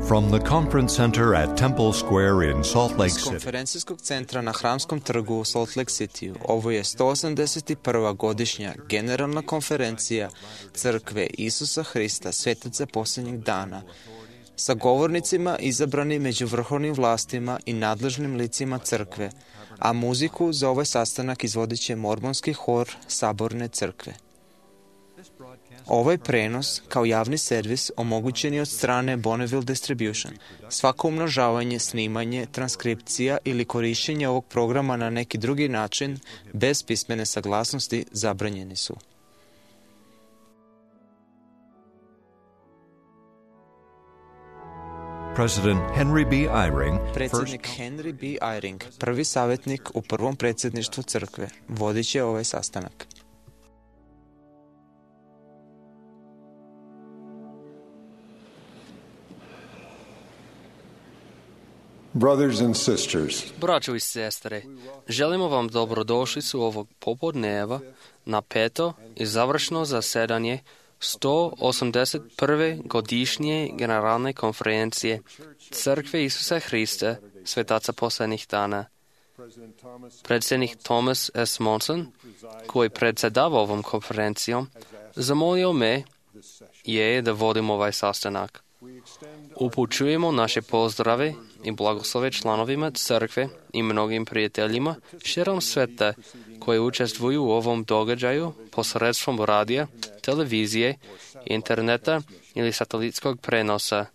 From the conference center at Temple Square in Salt Lake Iz City, konferencijskog centra na Hramskom trgu u Salt Lake City, ovo je 181. godišnja generalna konferencija Crkve Isusa Hrista, Svetaca posljednjih dana, sa govornicima izabrani među vrhovnim vlastima i nadležnim licima crkve, a muziku za ovaj sastanak izvodit će mormonski hor Saborne crkve. Ovaj prenos, kao javni servis, omogućen je od strane Bonneville Distribution. Svako umnožavanje, snimanje, transkripcija ili korišćenje ovog programa na neki drugi način, bez pismene saglasnosti, zabranjeni su. President Henry B. Eyring, Predsjednik Henry B. Eyring, prvi savjetnik u prvom predsjedništvu crkve, vodit će ovaj sastanak. Brothers and sisters, Braćo i sestre, želimo vam dobrodošlicu ovog popodneva na peto i završno zasedanje 181. godišnje generalne konferencije Crkve Isusa Hrista, Svetaca posljednjih dana. Predsjednik Thomas S. Monson, koji predsjedava ovom konferencijom, zamolio me je da vodim ovaj sastanak. Upućujemo naše pozdrave i blagoslove članovima crkve i mnogim prijateljima širom sveta koji učestvuju u ovom događaju posredstvom radija, televizije, interneta ili satelitskog prenosa.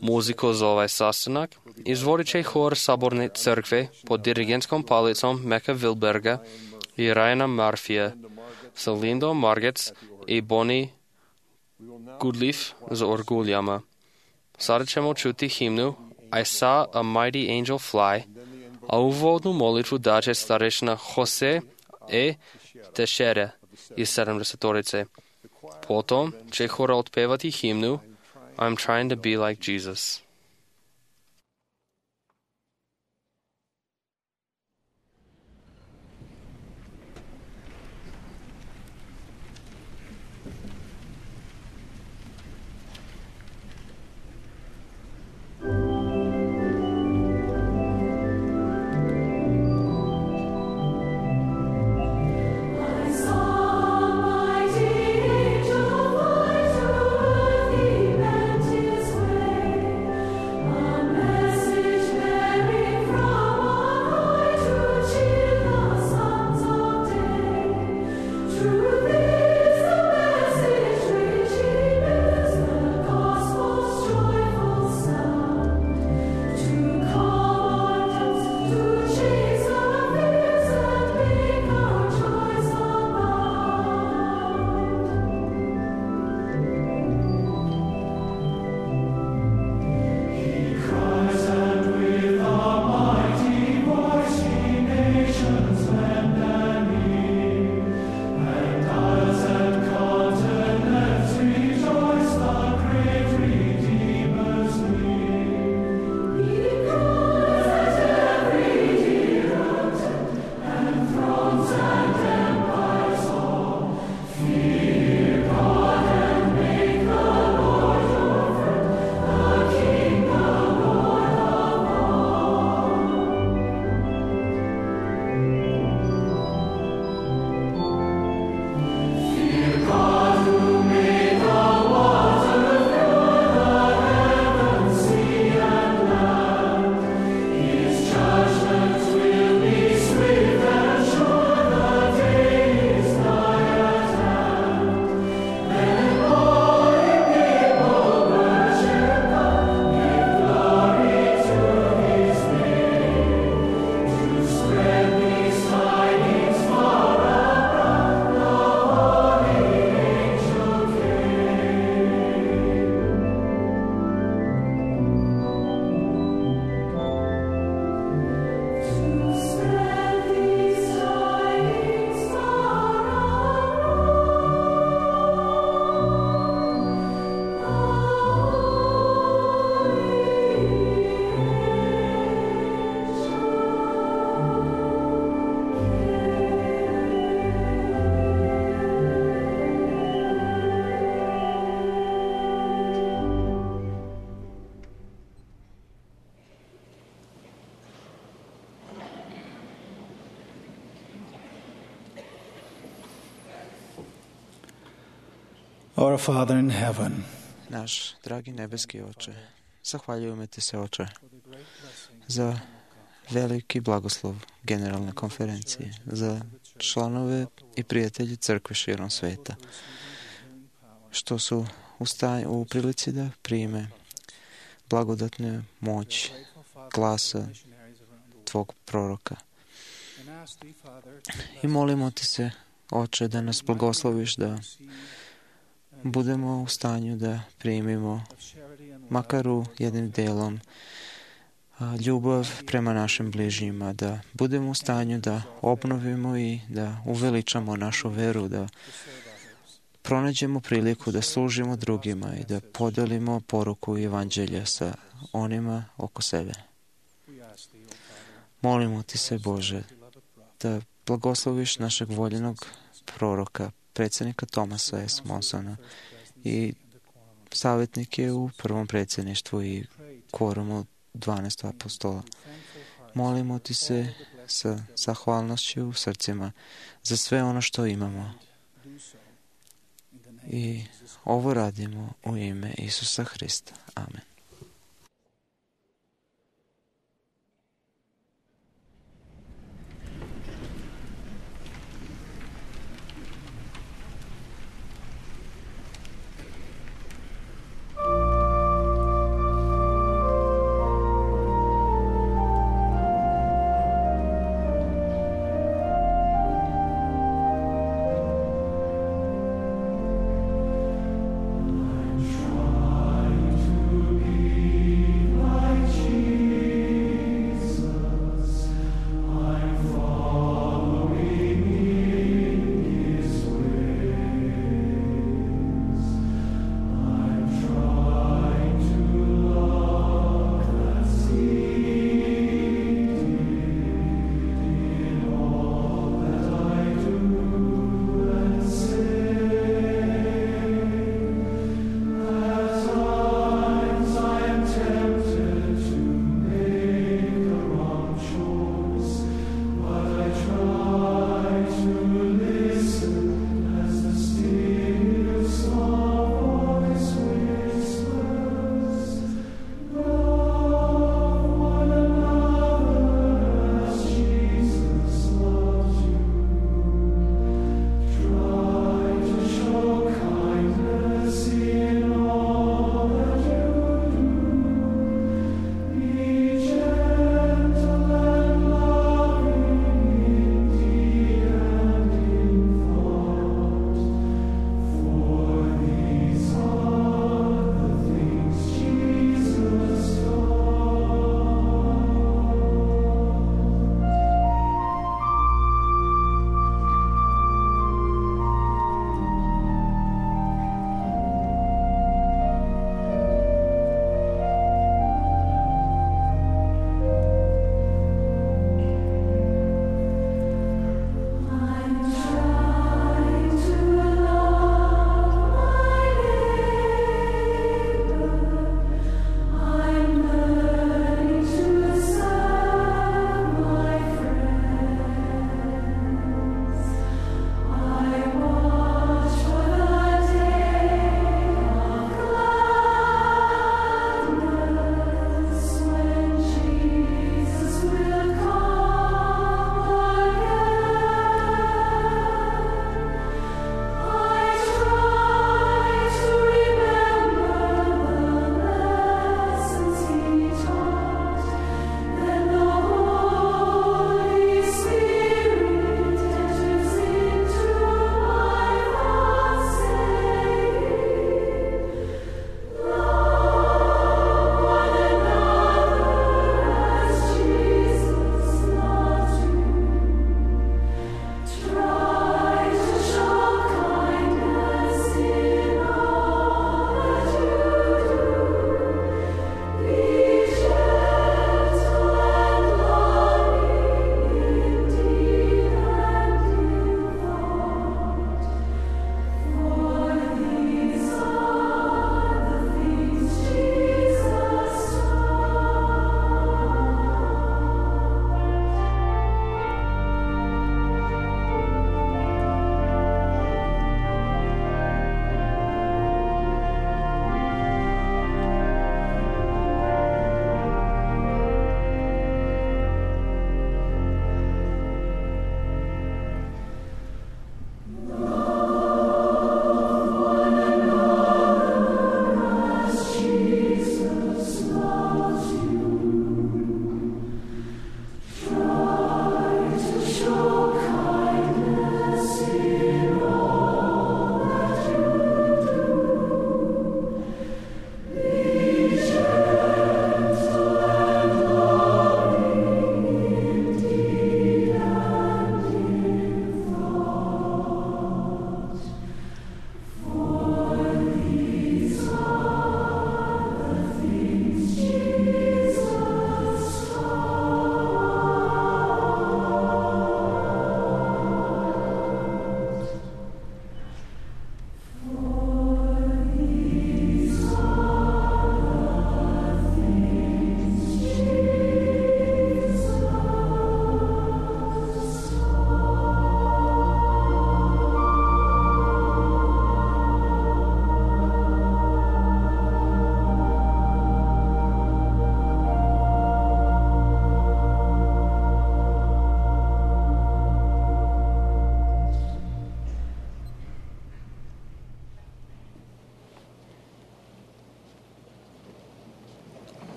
Muziku za ovaj sastanak izvodit će hor Saborne crkve pod dirigentskom palicom Meka Wilberga i Ryana Murphyja sa Lindom Margetts i Bonnie Goodleaf za orguljama. Sada ćemo čuti himnu I saw a mighty angel fly, a uvodnu molitvu daće starešina Jose E. Teixeira iz 70-torice. Potom će hor otpevati himnu I'm trying to be like Jesus. Our Father in heaven, Naš dragi nebeski Oče, zahvaljujemo Ti se, Oče, za veliki blagoslov Generalne konferencije, za članove i prijatelji crkve širom sveta, što su u prilici da prime blagodatnu moć glasa Tvog proroka. I molimo Ti se, Oče, da nas blagosloviš, da budemo u stanju da primimo makar u jednim delom ljubav prema našim bližnjima, da budemo u stanju da obnovimo i da uveličamo našu veru, da pronađemo priliku da služimo drugima i da podelimo poruku evanđelja sa onima oko sebe. Molimo Ti se, Bože, da blagosloviš našeg voljenog proroka, predsjednika Thomasa S. Monsona i savjetnike u prvom predsjedništvu i kvorumu 12 apostola. Molimo Ti se sa zahvalnošću u srcima za sve ono što imamo. I ovo radimo u ime Isusa Hrista. Amen. To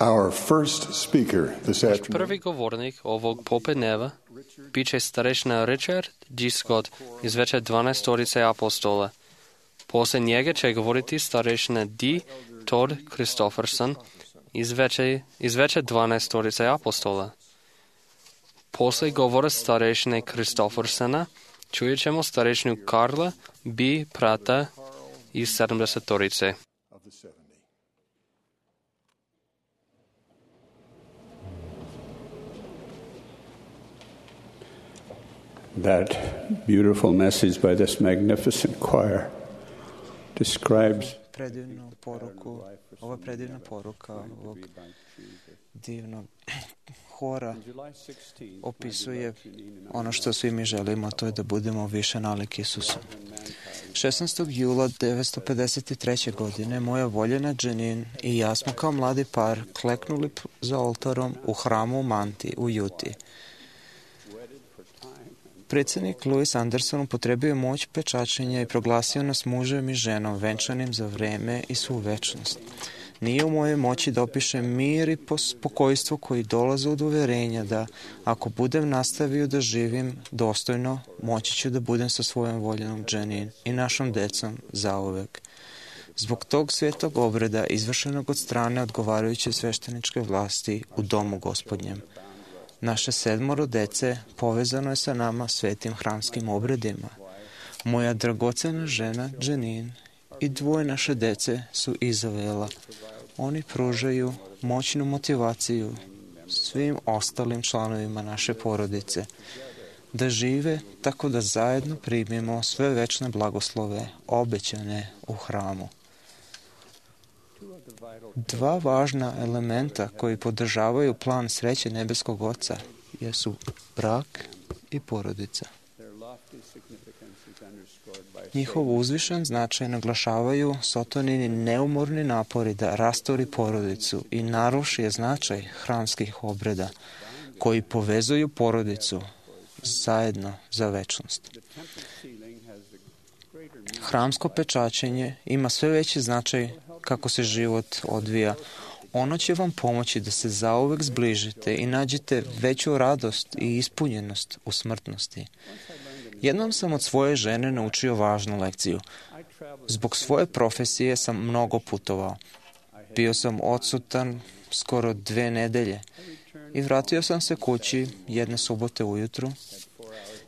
Our first speaker this afternoon Prvi govornik ovog popodneva bit će starešina Richard G. Scott iz veće 12 apostola. Poslije njega će govoriti starešina D. Todd Christofferson iz veće 12 apostola. Poslije govora starešine Christoffersona čujet ćemo starešinu Karla B. Prata iz 70. of the 70. That beautiful message by this magnificent choir describes Ova predivna poruka ovog divnog hora opisuje ono što svi mi želimo, to je da budemo više nalik Isusu. 16. jula 1953. godine moja voljena Janine i ja smo kao mladi par kleknuli za oltarom u hramu u Manti u Juti. Predsjednik Louis Anderson upotrebio je moć pečačenja i proglasio nas mužem i ženom venčanim za vreme i svu večnost. Nije u mojoj moći da opišem mir i spokojstvo koji dolaze od uverenja da ako budem nastavio da živim dostojno, moći ću da budem sa svojom voljenom Janine i našom decom zauvek. Zbog tog svetog obreda izvršenog od strane odgovarajuće svešteničke vlasti u domu Gospodnjem. Naše 7 dece povezano je sa nama svetim hramskim obredima. Moja dragocena žena Janine i 2 naše dece su Izavela. Oni pružaju moćnu motivaciju svim ostalim članovima naše porodice da žive tako da zajedno primimo sve večne blagoslove obećane u hramu. 2 važna elementa koji podržavaju plan sreće nebeskog Oca jesu brak i porodica. Njihov uzvišen značaj naglašavaju Sotonini neumorni napori da rastori porodicu i naruši je značaj hramskih obreda koji povezuju porodicu zajedno za večnost. Hramsko pečačenje ima sve veći značaj kako se život odvija. Ono će vam pomoći da se zauvek zbližite i nađete veću radost i ispunjenost u smrtnosti. Jednom sam od svoje žene naučio važnu lekciju. Zbog svoje profesije sam mnogo putovao. Bio sam odsutan skoro 2 nedelje i vratio sam se kući jedne subote ujutru.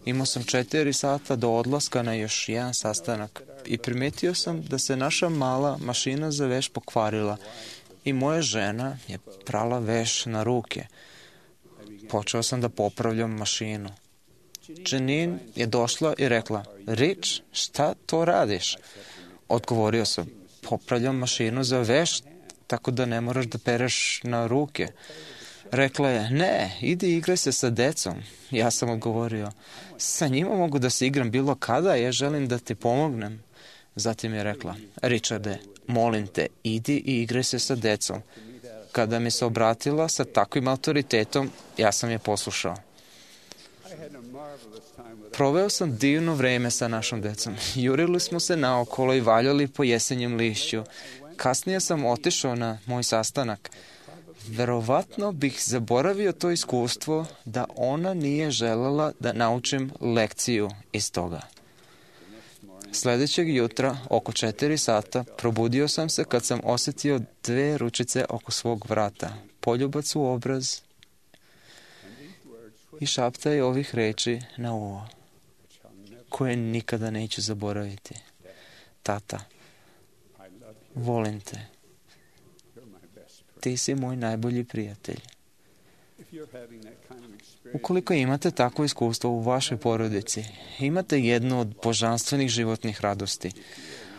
Imao sam 4 sata do odlaska na još jedan sastanak i primetio sam da se naša mala mašina za veš pokvarila i moja žena je prala veš na ruke. Počeo sam da popravljam mašinu. Janine je došla i rekla, Rich, šta to radiš? Odgovorio sam, popravljam mašinu za veš, tako da ne moraš da pereš na ruke. Rekla je, ne, idi igraj se sa decom. Ja sam odgovorio, sa njima mogu da se igram bilo kada, ja želim da ti pomognem. Zatim je rekla, Richarde, molim te, idi i igraj se sa decom. Kada mi se obratila sa takvim autoritetom, ja sam je poslušao. Proveo sam divno vreme sa našom decom. Jurili smo se naokolo i valjali po jesenjem lišću. Kasnije sam otišao na moj sastanak. Verovatno bih zaboravio to iskustvo da ona nije želela da naučim lekciju iz toga. Sljedećeg jutra, oko 4 sata, probudio sam se kad sam osjetio 2 ručice oko svog vrata, poljubac u obraz i šaptaj ovih reči na uvo, koje nikada neću zaboraviti. Tata, volim te. Ti si moj najbolji prijatelj. Ukoliko imate takvo iskustvo u vašoj porodici, imate jednu od božanstvenih životnih radosti.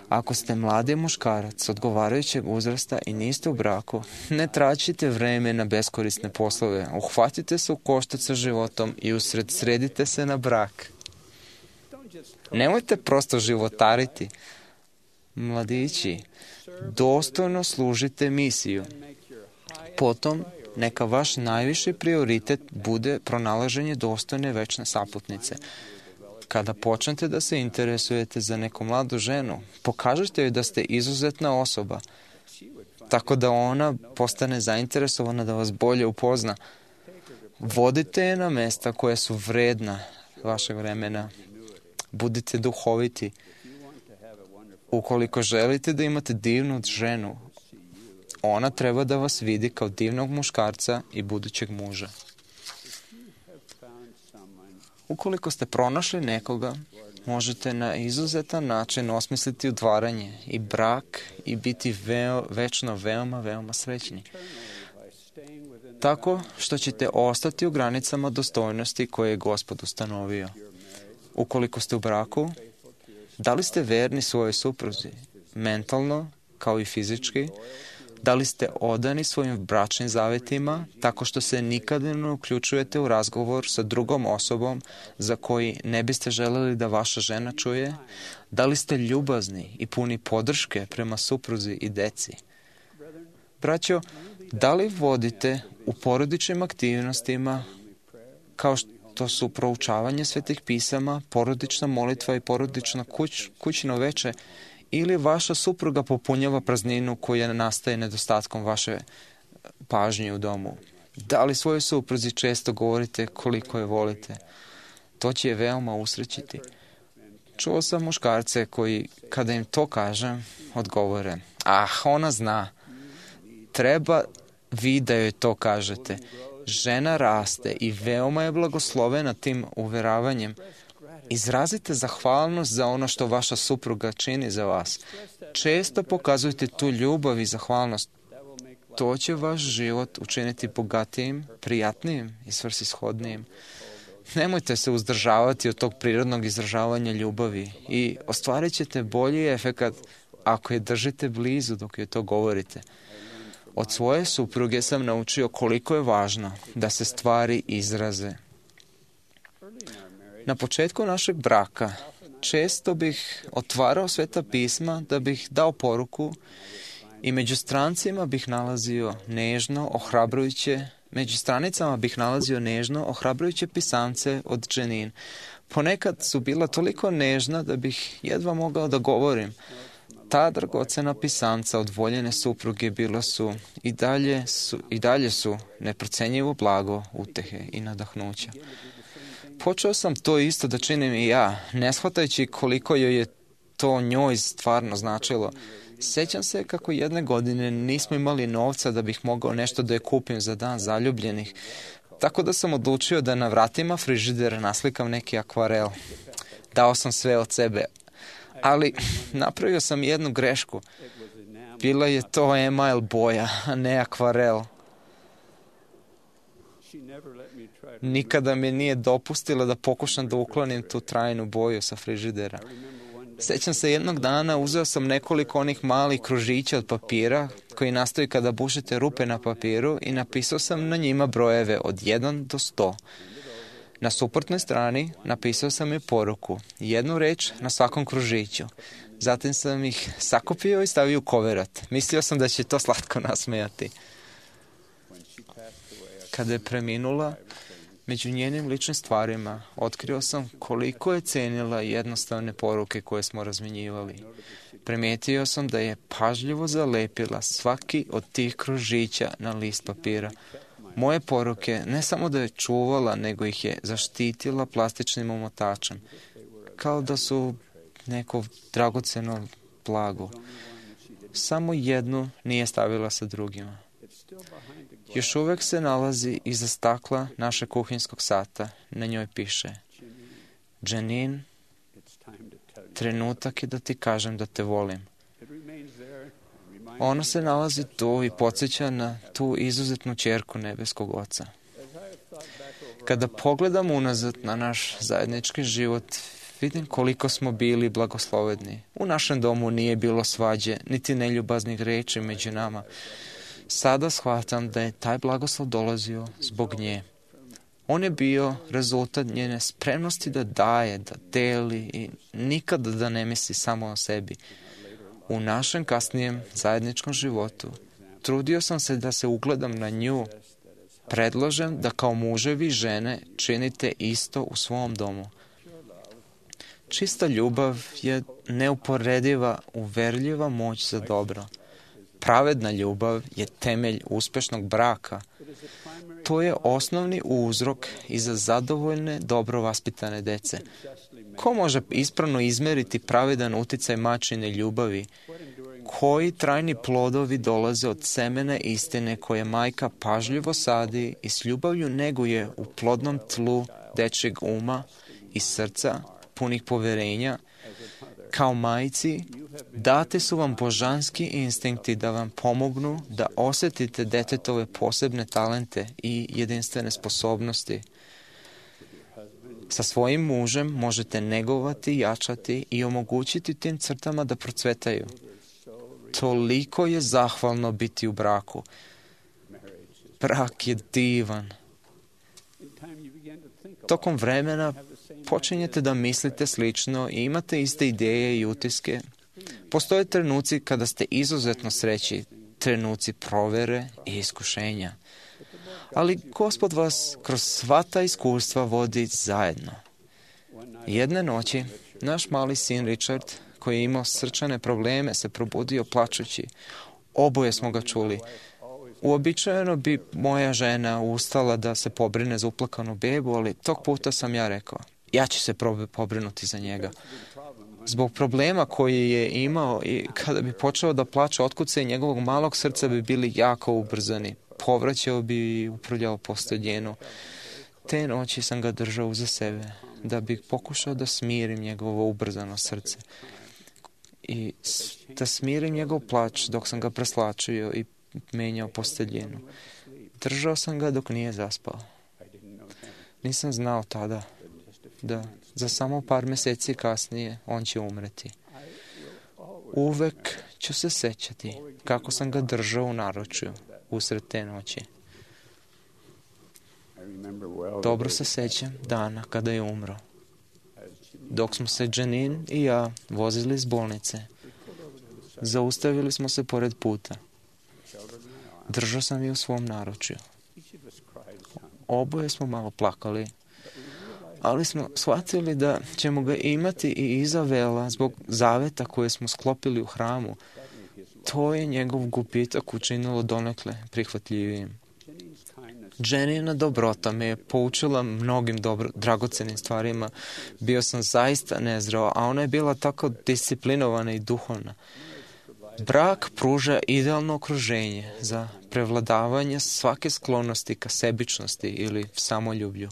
Ako ste mladi muškarac odgovarajućeg uzrasta i niste u braku, ne traćite vreme na beskorisne poslove, uhvatite se u koštac sa životom i usredsredite se na brak. Nemojte prosto životariti. Mladići, dostojno služite misiju. Potom, neka vaš najviši prioritet bude pronalaženje dostojne večne saputnice. Kada počnete da se interesujete za neku mladu ženu, pokažite joj da ste izuzetna osoba tako da ona postane zainteresovana da vas bolje upozna. Vodite je na mesta koja su vredna vašeg vremena. Budite duhoviti. Ukoliko želite da imate divnu ženu, ona treba da vas vidi kao divnog muškarca i budućeg muža. Ukoliko ste pronašli nekoga, možete na izuzetan način osmisliti udvaranje i brak i biti večno veoma srećni. Tako što ćete ostati u granicama dostojnosti koje je Gospod ustanovio. Ukoliko ste u braku, da li ste verni svojoj supruzi, mentalno kao i fizički? Da li ste odani svojim bračnim zavetima tako što se nikada ne uključujete u razgovor sa drugom osobom za koji ne biste želeli da vaša žena čuje? Da li ste ljubazni i puni podrške prema supruzi i deci? Braćo, da li vodite u porodičnim aktivnostima kao što su proučavanje svetih pisama, porodična molitva i porodično kućno veče, ili vaša supruga popunjava prazninu koja nastaje nedostatkom vaše pažnje u domu? Da li svojoj supruzi često govorite koliko je volite? To će je veoma usrećiti. Čuo sam muškarce koji, kada im to kažem, odgovore: ona zna. Treba vi da joj to kažete. Žena raste i veoma je blagoslovena tim uveravanjem. Izrazite zahvalnost za ono što vaša supruga čini za vas. Često pokazujte tu ljubav i zahvalnost. To će vaš život učiniti bogatijim, prijatnijim i svrsishodnijim. Nemojte se uzdržavati od tog prirodnog izražavanja ljubavi i ostvarit ćete bolji efekat ako je držite blizu dok joj to govorite. Od svoje supruge sam naučio koliko je važno da se stvari izraze. Na početku našeg braka često bih otvarao sveta pisma da bih dao poruku i među stranicama bih nalazio nežno, ohrabrujuće pisamce od Dženin. Ponekad su bila toliko nežna da bih jedva mogao da govorim. Ta dragocena pisamca od voljene supruge bila su i dalje su neprocenjivo blago utehe i nadahnuća. Počeo sam to isto da činim i ja, ne shvatajući koliko joj je to njoj stvarno značilo. Sjećam se kako jedne godine nismo imali novca da bih mogao nešto da je kupim za dan zaljubljenih, tako da sam odlučio da na vratima frižidera naslikam neki akvarel. Dao sam sve od sebe, ali napravio sam jednu grešku. Bila je to email boja, a ne akvarel. Nikada mi nije dopustila da pokušam da uklonim tu trajnu boju sa frižidera. Sjećam se jednog dana uzeo sam nekoliko onih malih kružića od papira koji nastaju kada bušite rupe na papiru i napisao sam na njima brojeve od 1 do 100. Na suprotnoj strani napisao sam i poruku, jednu reč na svakom kružiću. Zatim sam ih sakupio i stavio u koverat. Mislio sam da će to slatko nasmejati. Kada je preminula, među njenim ličnim stvarima otkrio sam koliko je cenila jednostavne poruke koje smo razmenjivali. Primijetio sam da je pažljivo zalepila svaki od tih kružića na list papira. Moje poruke ne samo da je čuvala, nego ih je zaštitila plastičnim omotačem, kao da su neko dragoceno blago. Samo jednu nije stavila sa drugima. Još uvek se nalazi iza stakla našeg kuhinjskog sata. Na njoj piše: Dženin, trenutak je da ti kažem da te volim. Ona se nalazi tu i podsjeća na tu izuzetnu ćerku nebeskog Oca. Kada pogledam unazad na naš zajednički život, vidim koliko smo bili blagoslovedni. U našem domu nije bilo svađe, niti neljubaznih reči među nama. Sada shvatam da je taj blagoslov dolazio zbog nje. On je bio rezultat njene spremnosti da daje, da deli i nikada da ne misli samo o sebi. U našem kasnijem zajedničkom životu trudio sam se da se ugledam na nju. Predlažem da kao muževi i žene činite isto u svom domu. Čista ljubav je neuporediva, uverljiva moć za dobro. pravedna ljubav je temelj uspešnog braka. To je osnovni uzrok i za zadovoljne, dobro vaspitane dece. Ko može ispravno izmeriti pravedan uticaj majčine ljubavi? Koji trajni plodovi dolaze od semena istine koje majka pažljivo sadi i s ljubavlju neguje u plodnom tlu dečjeg uma i srca, punih poverenja? Kao majci, date su vam božanski instinkti da vam pomognu da osetite detetove posebne talente i jedinstvene sposobnosti. Sa svojim mužem možete negovati, jačati i omogućiti tim crtama da procvetaju. Toliko je zahvalno biti u braku. Brak je divan. Tokom vremena počinjete da mislite slično i imate iste ideje i utiske. Postoje trenuci kada ste izuzetno srećni, trenuci provere i iskušenja. Ali Gospod vas kroz sva ta iskustva vodi zajedno. Jedne noći, naš mali sin Richard, koji je imao srčane probleme, se probudio plačući. Oboje smo ga čuli. Uobičajeno bi moja žena ustala da se pobrine za uplakanu bebu, ali tog puta sam ja rekao, ja ću se pobrinuti za njega. Zbog problema koji je imao i kada bi počeo da plače, otkucaji njegovog malog srca bi bili jako ubrzani. Povraćao bi i uprljao posteljenu. Te noći sam ga držao uza sebe, da bih pokušao da smirim njegovo ubrzano srce. I da smirim njegov plač dok sam ga preslačio i menjao posteljenu. Držao sam ga dok nije zaspao. Nisam znao tada da za samo par meseci kasnije on će umreti. Uvek ću se sećati kako sam ga držao u naručju usred te noći. Dobro se sećam dana kada je umro. Dok smo se Janine i ja vozili iz bolnice, zaustavili smo se pored puta. Držao sam je u svom naručju. Oboje smo malo plakali, ali smo shvatili da ćemo ga imati i iza vela zbog zaveta koje smo sklopili u hramu. To je njegov gubitak učinilo donekle prihvatljivijim. Janina dobrota me je poučila mnogim dragocenim stvarima. Bio sam zaista nezreo, a ona je bila tako disciplinovana i duhovna. Brak pruža idealno okruženje za prevladavanje svake sklonosti ka sebičnosti ili samoljublju.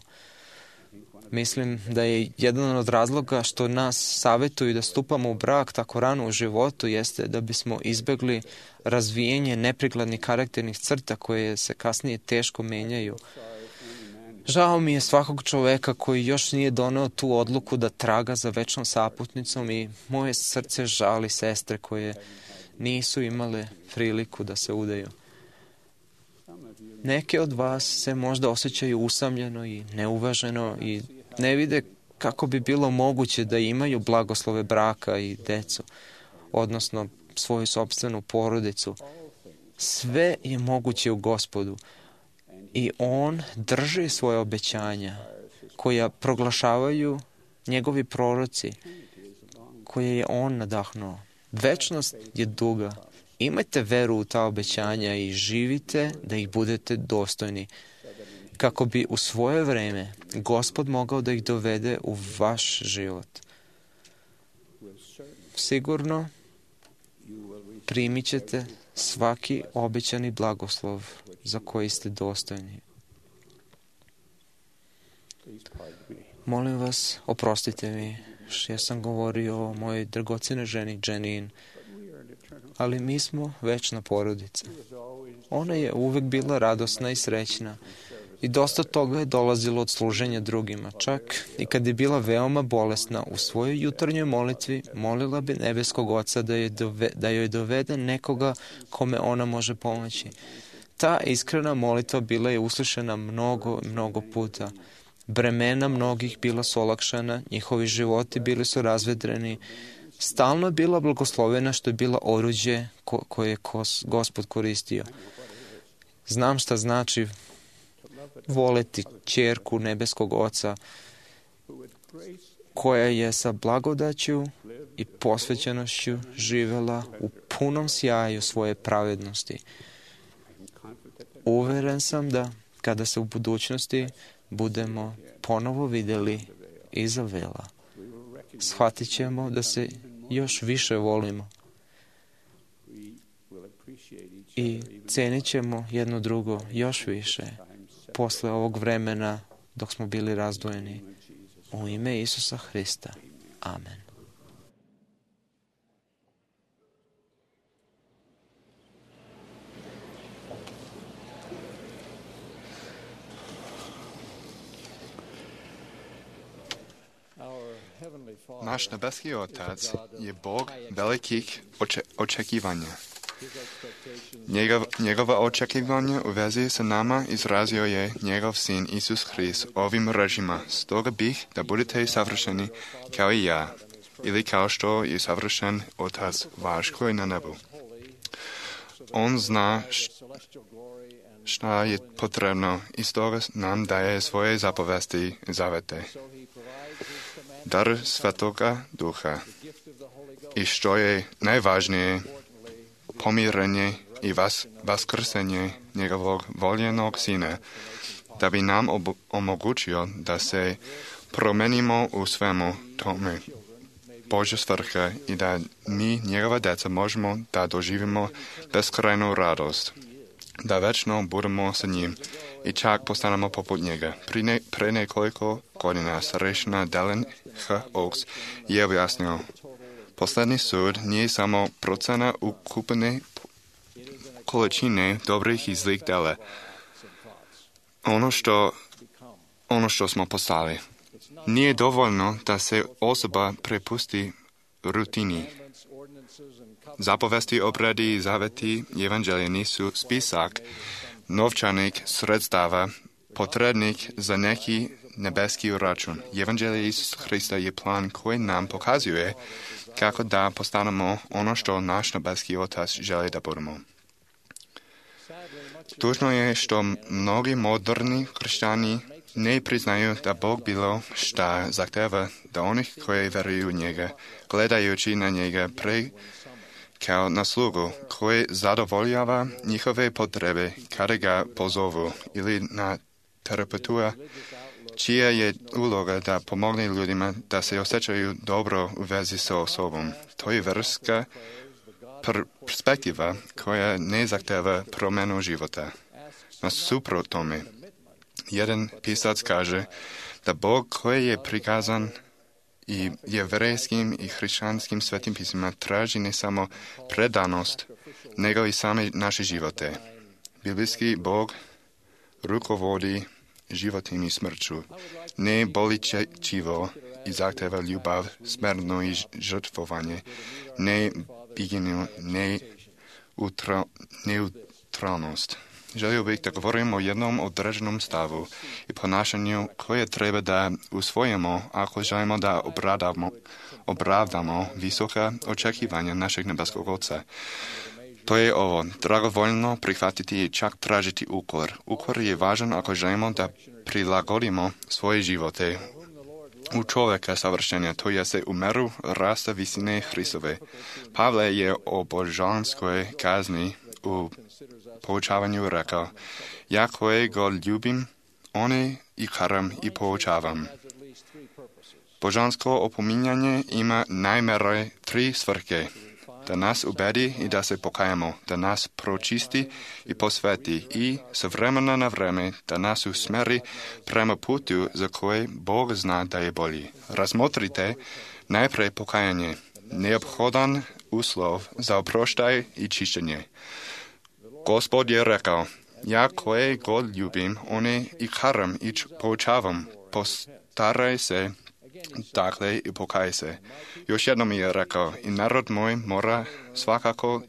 Mislim da je jedan od razloga što nas savjetuju da stupamo u brak tako rano u životu jeste da bismo izbegli razvijenje neprikladnih karakternih crta koje se kasnije teško menjaju. Žao mi je svakog čoveka koji još nije doneo tu odluku da traga za večnom saputnicom i moje srce žali sestre koje nisu imale priliku da se udaju. Neke od vas se možda osjećaju usamljeno i neuvaženo i ne vide kako bi bilo moguće da imaju blagoslove braka i decu, odnosno svoju sopstvenu porodicu. Sve je moguće u Gospodu i On drži svoje obećanja koja proglašavaju njegovi proroci, koje je On nadahnuo. Večnost je duga. Imajte veru u ta obećanja i živite da ih budete dostojni, kako bi u svoje vreme Gospod mogao da ih dovede u vaš život. Sigurno primit ćete svaki obećani blagoslov za koji ste dostojni. Molim vas, oprostite mi što ja sam govorio o mojoj dragocenoj ženi Janine, ali mi smo večna porodica. Ona je uvek bila radosna i srećna i dosta toga je dolazilo od služenja drugima. Čak i kad je bila veoma bolesna, u svojoj jutarnjoj molitvi molila bi nebeskog Oca da joj dovede nekoga kome ona može pomoći. Ta iskrena molitva bila je uslišena mnogo puta. Bremena mnogih bila su olakšana, njihovi životi bili su razvedreni. Stalno je bila blagoslovena što je bila oruđe koje je Gospod koristio. Znam šta znači voleti ćerku nebeskog Oca koja je sa blagodaću i posvećenošću živela u punom sjaju svoje pravednosti. Uveren sam da kada se u budućnosti budemo ponovo vidjeli iza vela, shvatit ćemo da se još više volimo i cenit ćemo jedno drugo još više posle ovog vremena dok smo bili razdvojeni. U ime Isusa Hrista. Amen. Naš nebeski Otac je Bog velikih očekivanja. Njegova očekivanja u vezi sa nama izrazio je njegov sin Isus Hrist ovim rečima: stoga bih da budete savršeni kao i ja, ili kao što je savršen Otac vaš koji je na nebu. On zna šta je potrebno i stoga nam daje svoje zapovesti i zavete. Dar Svetoga Duha i što je najvažnije, pomirenje i vaskrsenje njegovog voljenog sina, da bi nam omogućio da se promenimo u svemu tome Božja svrha i da mi, njegova djeca, možemo da doživimo beskrajnu radost, da večno budemo sa njim i čak postanemo poput njega. Pre nekoliko godina starešina Dallin H. Oaks je objasnio: posljednji sud nije samo procena ukupne količine dobrih i zlih dela, ono što smo postali. Nije dovoljno da se osoba prepusti rutini. Zapovesti, obredi i zaveti evanđelja nisu spisak novčanih sredstava potrebnih za neki nebeski račun. Evanđelje Isusa Hrista je plan koji nam pokazuje kako da postanemo ono što naš nebeski Otac želi da budemo. Tužno je što mnogi moderni hrišćani ne priznaju da Bog bilo šta zahteva da onih koji veruju u njega, gledajući na njega kao na slugu koji zadovoljava njihove potrebe kada ga pozovu, ili na terapeuta čija je uloga da pomogne ljudima da se osjećaju dobro u vezi sa osobom. To je verska perspektiva koja ne zahteva promjenu života. Nasuprot tome, jedan pisac kaže da Bog koji je prikazan i jevrejskim i hrišćanskim svetim pismima traži ne samo predanost, nego i same naše živote. Biblijski Bog rukovodi životom i smrću, ne boličečivo i zahteva ljubav, smrtno i žrtvovanje, ne biginu, ne neutralnost. Želio bih da govorim o jednom određenom stavu i ponašanju koje treba da usvojimo ako želimo da opravdamo visoka očekivanja našeg nebeskog Oca. To je ovo: dragovoljno prihvatiti i čak tražiti ukor. Ukor je važan ako želimo da prilagodimo svoje živote u čovjeka savršenja, to je se u meru rasta visine Hristove. Pavle je o božanskoj kazni u poučavanju rekao: ja koje god ljubim, one i karam i poučavam. Božansko opominjanje ima najmanje 3 svrhe: da nas ubedi i da se pokajamo, da nas pročisti i posveti i s vremena na vreme da nas usmeri prema putu za koje Bog zna da je bolji. Razmotrite najprej pokajanje, neophodan uslov za oproštaj i čišćenje. Gospod je rekao: ja koje god ljubim, one i karam i poučavam, postaraj se, dakle i pokaj se. Još jednom je rekao: i narod moj mora svakako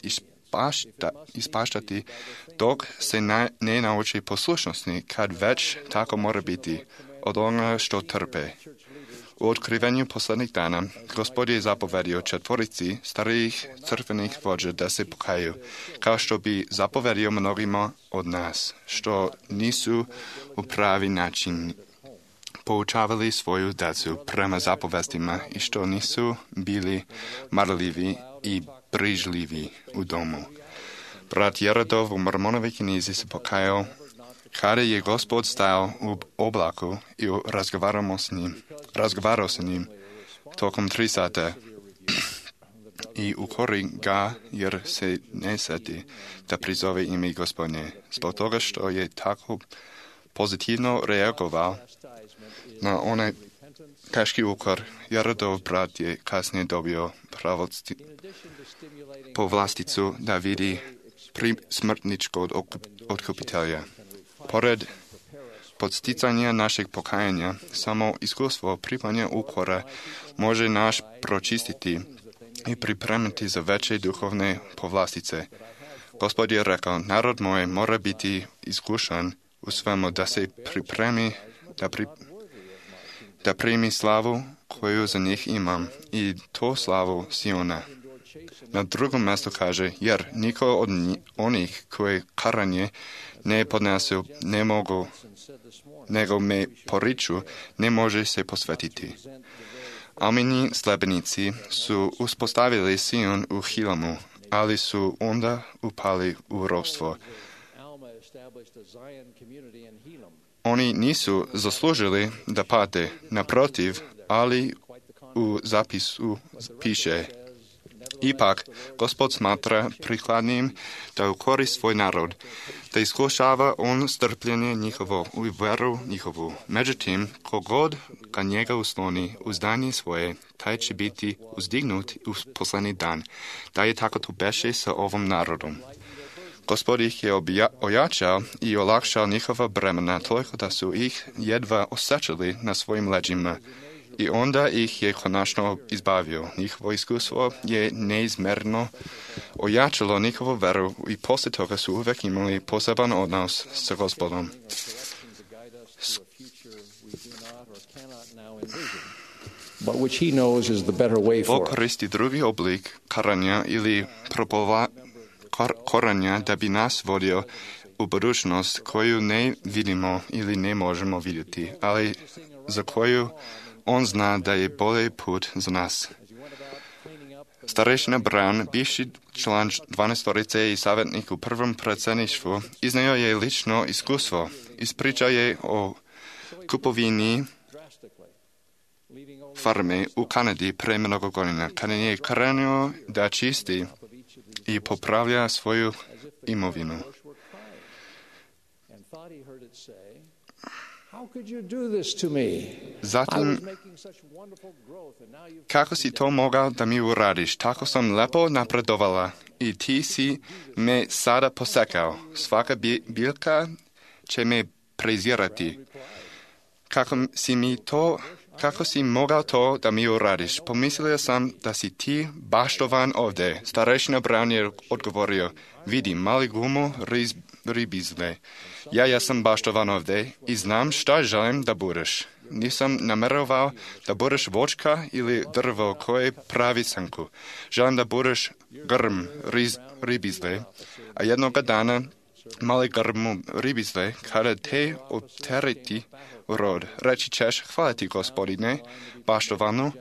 ispaštati dok se ne nauči poslušnosti, kad već tako mora biti od onoga što trpe. U otkrivenju posljednjih dana Gospod je zapovedio 4 starijih crkvenih vođa da se pokaju, kao što bi zapovedio mnogima od nas, što nisu u pravi način poučavali svoju djecu prema zapovestima i što nisu bili marljivi i brižljivi u domu. Brat Jerodov u Mormonovoj knjizi se pokajao kada je Gospod stajao u oblaku i razgovarao sa njim tokom 3 sata i ukori ga jer se ne seti da prizove ime Gospodnje. Zbog toga što je tako pozitivno reagovao na onaj teški ukor, Jerodov brat je kasnije dobio povlasticu da vidi smrtničkog otkupitelja. Pored podsticanja našeg pokajanja, samo iskustvo pripanja ukora može naš pročistiti i pripremiti za veće duhovne povlastice. Gospod je rekao, narod moj mora biti iskušan u svemu da se pripremi, da primi slavu koju za njih imam i to slavu Siona. Na drugom mjestu kaže, jer niko od onih koje karanje ne podnesu, ne mogu, nego me poriču, ne može se posvetiti. Almini slebenici su uspostavili Sion u Hilamu, ali su onda upali u ropstvo. Oni nisu zaslužili da pate, naprotiv, ali u zapisu piše, ipak, Gospod smatra prikladnim da ukori svoj narod, da iskušava on strpljenje njihovo u veru njihovu. Međutim, kogod ga njega usloni uzdanje svoje, taj će biti uzdignut u posljednji dan, da je tako to beše sa ovom narodom. Gospod ih je ojačao i olakšao njihova bremena, toliko da su ih jedva osjećali na svojim leđima. I onda ih je konačno izbavio. Njihovo iskustvo je neizmjerno ojačalo njihovu veru i poslije toga su uvijek imali poseban odnos sa Gospodom. Bog koristi drugi oblik karanja ili koranja da bi nas vodio u budućnost koju ne vidimo ili ne možemo vidjeti, ali za koju on zna da je bolji put za nas. Starešina Brown, bivši član 12-torice i savjetnik u prvom predsjedništvu, iznio je lično iskustvo. Ispričao je o kupovini farme u Kanadi pre mnogo godina, kada je krenuo da čisti i popravlja svoju imovinu. Zatim, kako si to mogao da mi uradiš? Tako sam lepo napredovala i ti si me sada posekao. Svaka biljka će me prezirati. Kako si mogao to da mi uradiš? Pomislio sam da si ti baštovan ovdje. Starešina Brown je odgovorio, vidi, mali gumu ribizle. Ja sam baštovan ovdje i znam šta želim da budeš. Nisam namjerovao da budeš voćka ili drvo koje pravi sanku. Želim da budeš grm ribizle, a jednoga dana mali grmu ribizle, kada te otereti u rod, reći ćeš, hvala ti, Gospodine, baštovanu,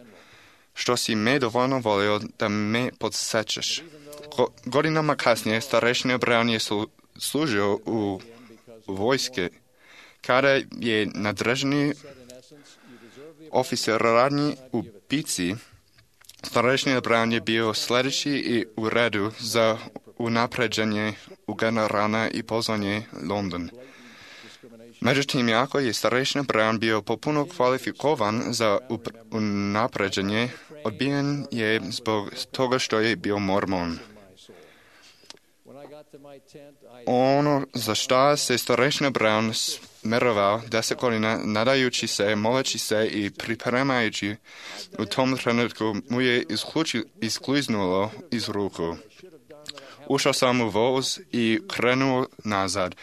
što si me dovoljno volio da me podsjećaš. Godinama kasnije starešina Brown je služio u vojske, kada je nadređeni oficer radnji u bitci, starešina Brown je bio sljedeći i u redu za unapređenje u generalna i pozvanje London. Međutim, jako je starešina Brown bio popuno kvalifikovan za unapređenje, odbijen je zbog toga što je bio mormon. Ono za šta se starešina Brown smerovao 10 godina, nadajući se, moleći se i pripremajući, u tom trenutku mu je iskliznulo iz ruku. Ušao sam u voz i krenuo nazad.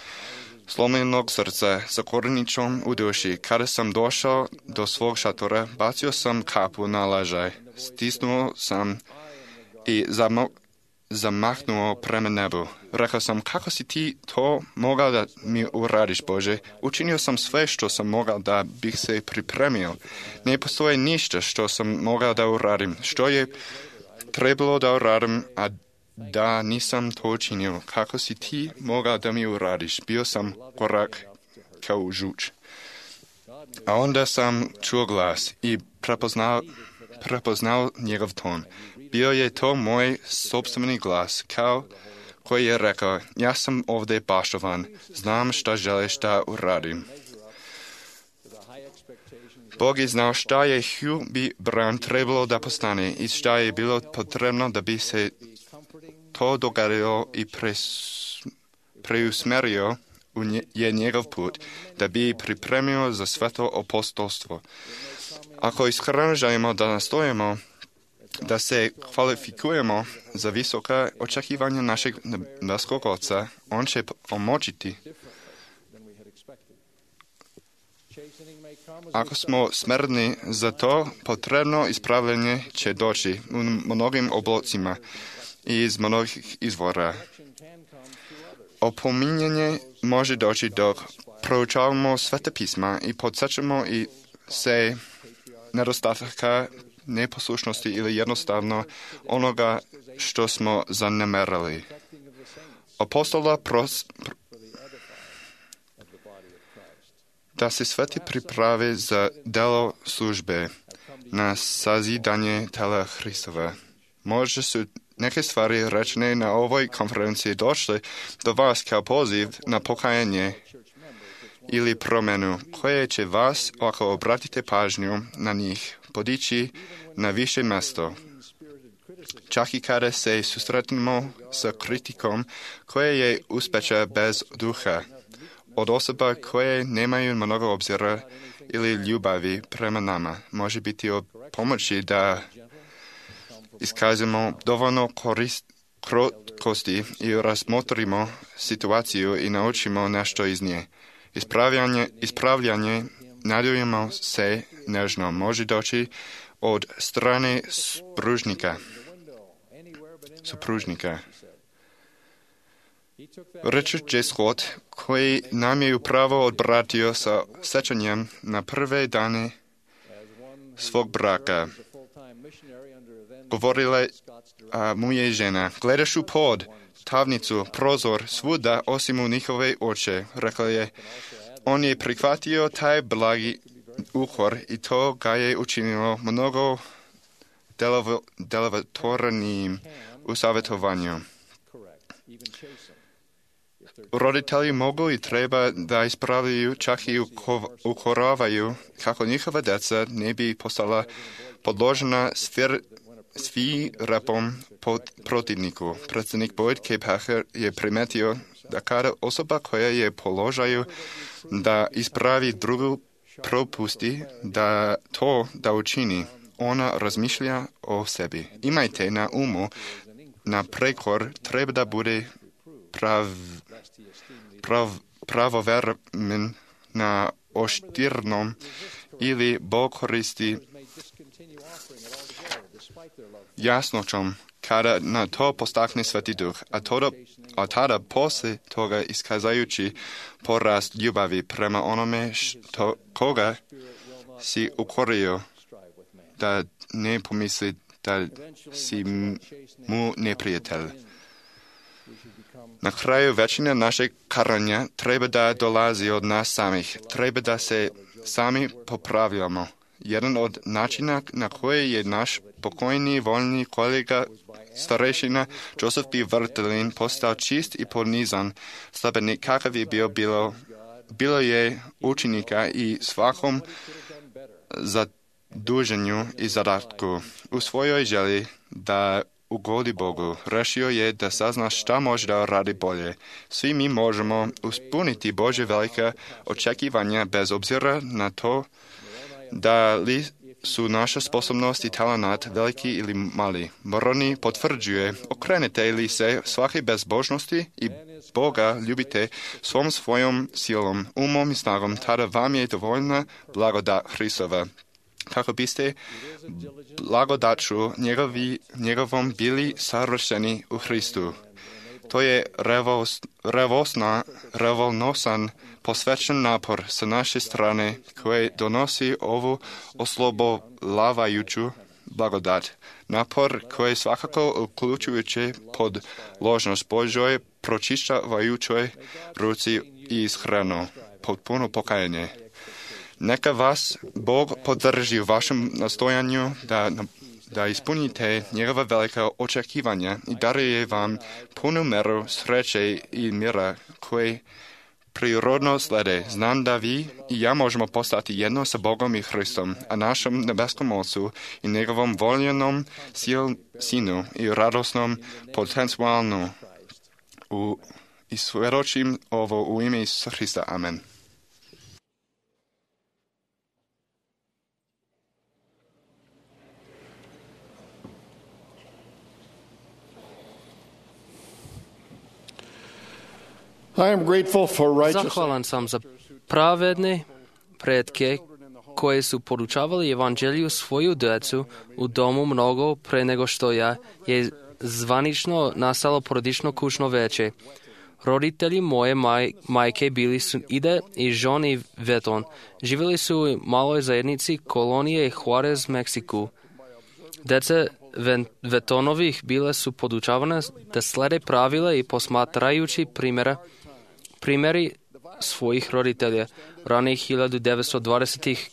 Slomljenog srca, sa koreničom u duši. Kada sam došao do svog šatora, bacio sam kapu na ležaj, stisnuo sam i zamahnuo prema nebu. Rekao sam, kako si ti to mogao da mi uradiš, Bože? Učinio sam sve što sam mogao da bih se pripremio. Ne postoji ništa što sam mogao da uradim. Što je trebalo da uradim, a da nisam to učinio. Kako si ti mogao da mi uradiš? Bio sam korak kao žuč. A onda sam čuo glas i prepoznao njegov ton. Bio je to moj sopstveni glas, koji je rekao, ja sam ovdje paštovan, znam šta želiš da uradim. Bog je znao šta je Hugh B. Brown trebalo da postane i šta je bilo potrebno da bi se to dogadilo i preusmerio je njegov put, da bi pripremio za sveto apostolstvo. Ako iskreno želimo da nastojimo, da se kvalifikujemo za visoka očekivanja našeg nebeskog Oca, on će omočiti. Ako smo smrdni za to, potrebno ispravljanje će doći u mnogim oblocima i iz mnogih izvora. Opominjanje može doći dok proučavamo Sveta pisma i podsjećamo i se nedostataka, neposlušnosti ili jednostavno onoga što smo zanemarili. Apostola da se sveti priprave za delo službe na sazidanje tela Hristova. Možda su neke stvari rečene na ovoj konferenciji došle do vas kao poziv na pokajanje ili promjenu, koje će vas, ako obratite pažnju na njih, podići na više mjesto. Čak i kada se susretnemo sa kritikom koja je uspjeća bez duha, od osoba koje nemaju mnogo obzira ili ljubavi prema nama, može biti od pomoći da iskazimo dovoljno krotkosti i razmotrimo situaciju i naučimo nešto iz nje. Ispravljanje, nadujemo se nežno, može doći od strane supružnika. Richard J. Scott, koji nam je upravo odbratio sa sećanjem na prve dane svog braka, govorila mu je žena, gledaš u pod, tavnicu, prozor, svuda osim u njihove oči. Rekla je, on je prihvatio taj blagi ukor i to ga je učinilo mnogo delotvornijim u savjetovanju. Roditelji mogu i treba da ispravljaju, čak i ukoravaju kako njihova djeca ne bi postala podložena svirepom protivniku. Predsjednik Boyd K. Packer je primetio da kada osoba koja je položaju da ispravi drugu propusti da učini, ona razmišlja o sebi. Imajte na umu, na prekor treba da bude pravovremen na oštirnom ili Bog koristi jasnoćom kada na to postakne Sveti Duh, a tada poslije toga iskazajući porast ljubavi prema onome koga si ukorio, da ne pomisli da si mu neprijatelj. Na kraju većina našeg karanja treba da dolazi od nas samih, treba da se sami popravljamo. Jedan od načina na koji je naš pokojni voljni kolega starešina Joseph B. Vrtelin postao čist i ponizan, slabenik kakav je bilo je učenika i svakom zaduženju i zadatku. U svojoj želji da ugodi Bogu, rešio je da sazna šta može da radi bolje. Svi mi možemo ispuniti Božje velika očekivanja bez obzira na to da li su naša sposobnost i talenat veliki ili mali. Moroni potvrđuje, okrenete li se svake bezbožnosti i Boga ljubite svom svojom silom, umom i snagom, tada vam je dovoljna blagodat Hristova. Kako biste blagodaću njegovom bili savršeni u Hristu. To je revolnosan, posvećen napor sa naše strane koje donosi ovu oslobolavajuću blagodat. Napor koji svakako uključujući pod ložnost Božoj pročišćavajućoj ruci i ishranu, potpuno pokajanje. Neka vas Bog podrži u vašem nastojanju da ispunite njegova velika očekivanja i daruje vam punu meru sreće i mira koji prirodno slede. Znam da vi i ja možemo postati jedno sa Bogom i Hristom, a našem nebeskom Ocu i njegovom voljenom sinu i radosnom potencijalnu i svjedočim ovo u ime Isusa Hrista. Amen. I am grateful for righteous Zahvalan sam za pravedne pretke koje su podučavali evanđelju svoju djecu u domu mnogo pre nego što je zvanično nastalo porodično kućno veće. Roditelji moje majke bili su Ida i John i Veton. Živjeli su u maloj zajednici kolonije Juarez, Meksiku. Deca Vetonovih bile su podučavane da slede pravila i posmatrajući primjeri svojih roditelja. Ranih 1920-ih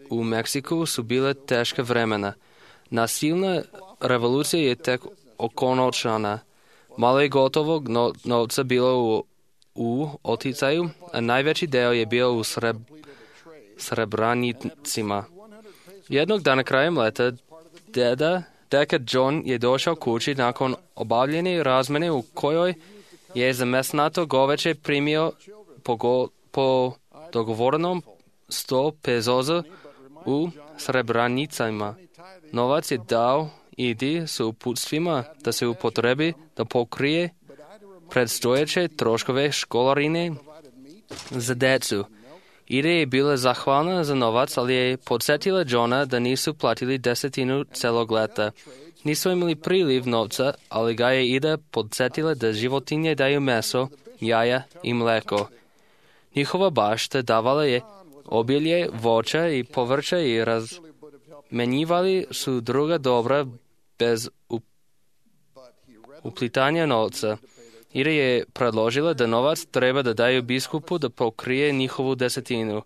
u Meksiku su bile teške vremena. Nasilna revolucija je tek okončana. Malo je gotovog novca bilo u oticaju, a najveći deo je bio u Srebranicima. Jednog dana krajem leta deka John je došao kući nakon obavljene razmene u kojoj je za mesnato goveće primio po dogovorenom 100 pezoza u Srebranicama. Novac je dao Idi s uputstvima da se upotrebi da pokrije predstojeće troškove školarine za decu. Ida je bila zahvalna za novac, ali je podsjetila Johna da nisu platili 10 celog leta. Nisu imali priliv novca, ali ga je Ida podsjetila da životinje daju meso, jaja i mleko. Njihova bašta davala je obilje, voća i povrća i razmenjivali su druga dobra bez uplitanja novca. Ida je predložila da novac treba da daju biskupu da pokrije njihovu 10.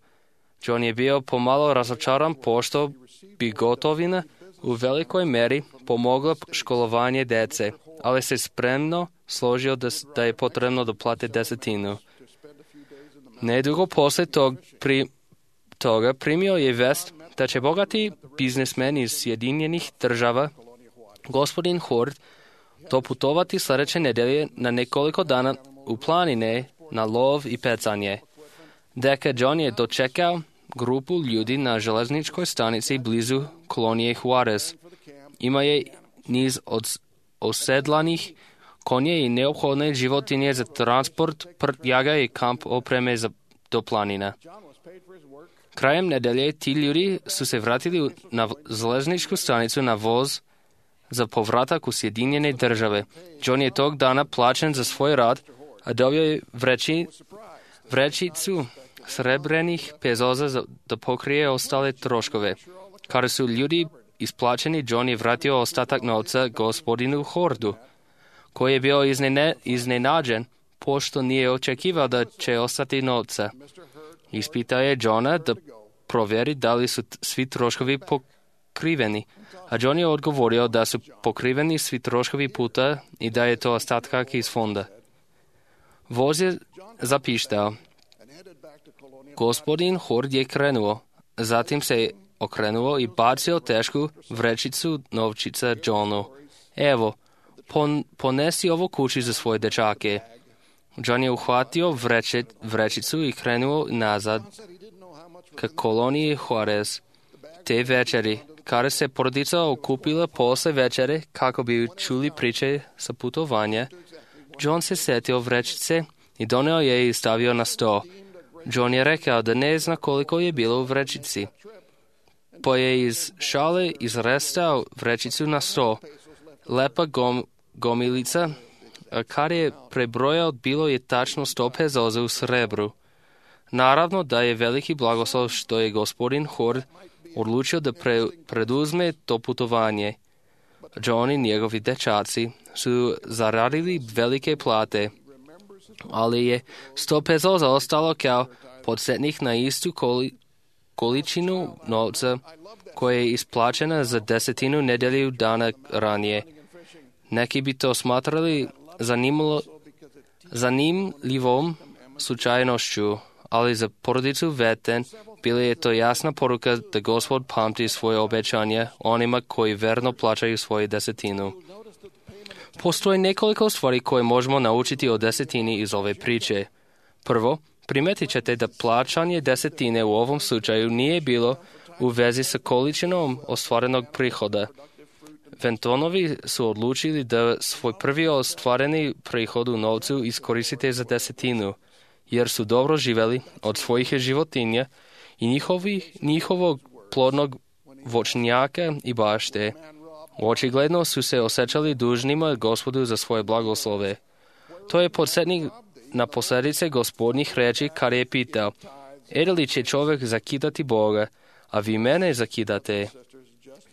John je bio pomalo razočaran pošto bi gotovina u velikoj meri pomogla školovanje dece, ali se spremno složio da je potrebno da plate 10. Nedugo posle toga primio je vest da će bogati biznismen iz Sjedinjenih država, gospodin Hord, doputovati sljedeće nedelje na nekoliko dana u planine na lov i pecanje. Deka John je dočekao grupu ljudi na železničkoj stanici blizu kolonije Juarez. Ima je niz osedlanih konje i neophodne životinje za transport, prtljaga i kamp opreme do planina. Krajem nedelje ti ljudi su se vratili na železničku stanicu na voz za povratak u Sjedinjene države. John je tog dana plaćen za svoj rad, a dobio je vrećicu srebrenih pezoza da pokrije ostale troškove. Kada su ljudi isplaćeni, John je vratio ostatak novca gospodinu Hordu, koji je bio iznenađen, pošto nije očekivao da će ostati novca. Ispitao je Johna da provjeri da li su svi troškovi pokriveni, a John je odgovorio da su pokriveni svi troškovi puta i da je to ostatak iz fonda. Voz je zapištao. Gospodin Hord je krenuo, zatim se okrenuo i bacio tešku vrećicu novčica Johnu. Evo, ponesi ovo kući za svoje dečake. John je uhvatio vrećicu i krenuo nazad ka koloniji Juarez. Te večeri, kada se porodica okupila posle večere kako bi čuli priče sa putovanja, John se setio vrećice i doneo je i stavio na sto. John je rekao da ne zna koliko je bilo u vrećici, pa je iz šale izrestao vrećicu na sto. Lepa gomilica, a kad je prebrojao, bilo je tačno 100 pezoza u srebru. Naravno da je veliki blagoslov što je gospodin Hord odlučio da preduzme to putovanje. John i njegovi dečaci su zaradili velike plate, ali je 100 pesos ostalo kao podsjetnik na istu količinu novca koja je isplaćena za 10 nedelju dana ranije. Neki bi to smatrali zanimljivom slučajnošću, ali za porodicu Veten bila je to jasna poruka da Gospod pamti svoje obećanje onima koji verno plaćaju svoju 10. Postoje nekoliko stvari koje možemo naučiti o 10 iz ove priče. Prvo, primetit ćete da plaćanje 10 u ovom slučaju nije bilo u vezi sa količinom ostvarenog prihoda. Ventonovi su odlučili da svoj prvi ostvareni prihod u novcu iskoristite za 10, jer su dobro živeli od svojih životinja i njihovog plodnog voćnjaka i bašte. Očigledno su se osjećali dužnima Gospodu za svoje blagoslove. To je podsjetnik na posljedice Gospodnjih reči kad je pitao: li će čovjek zakidati Boga, a vi mene zakidate?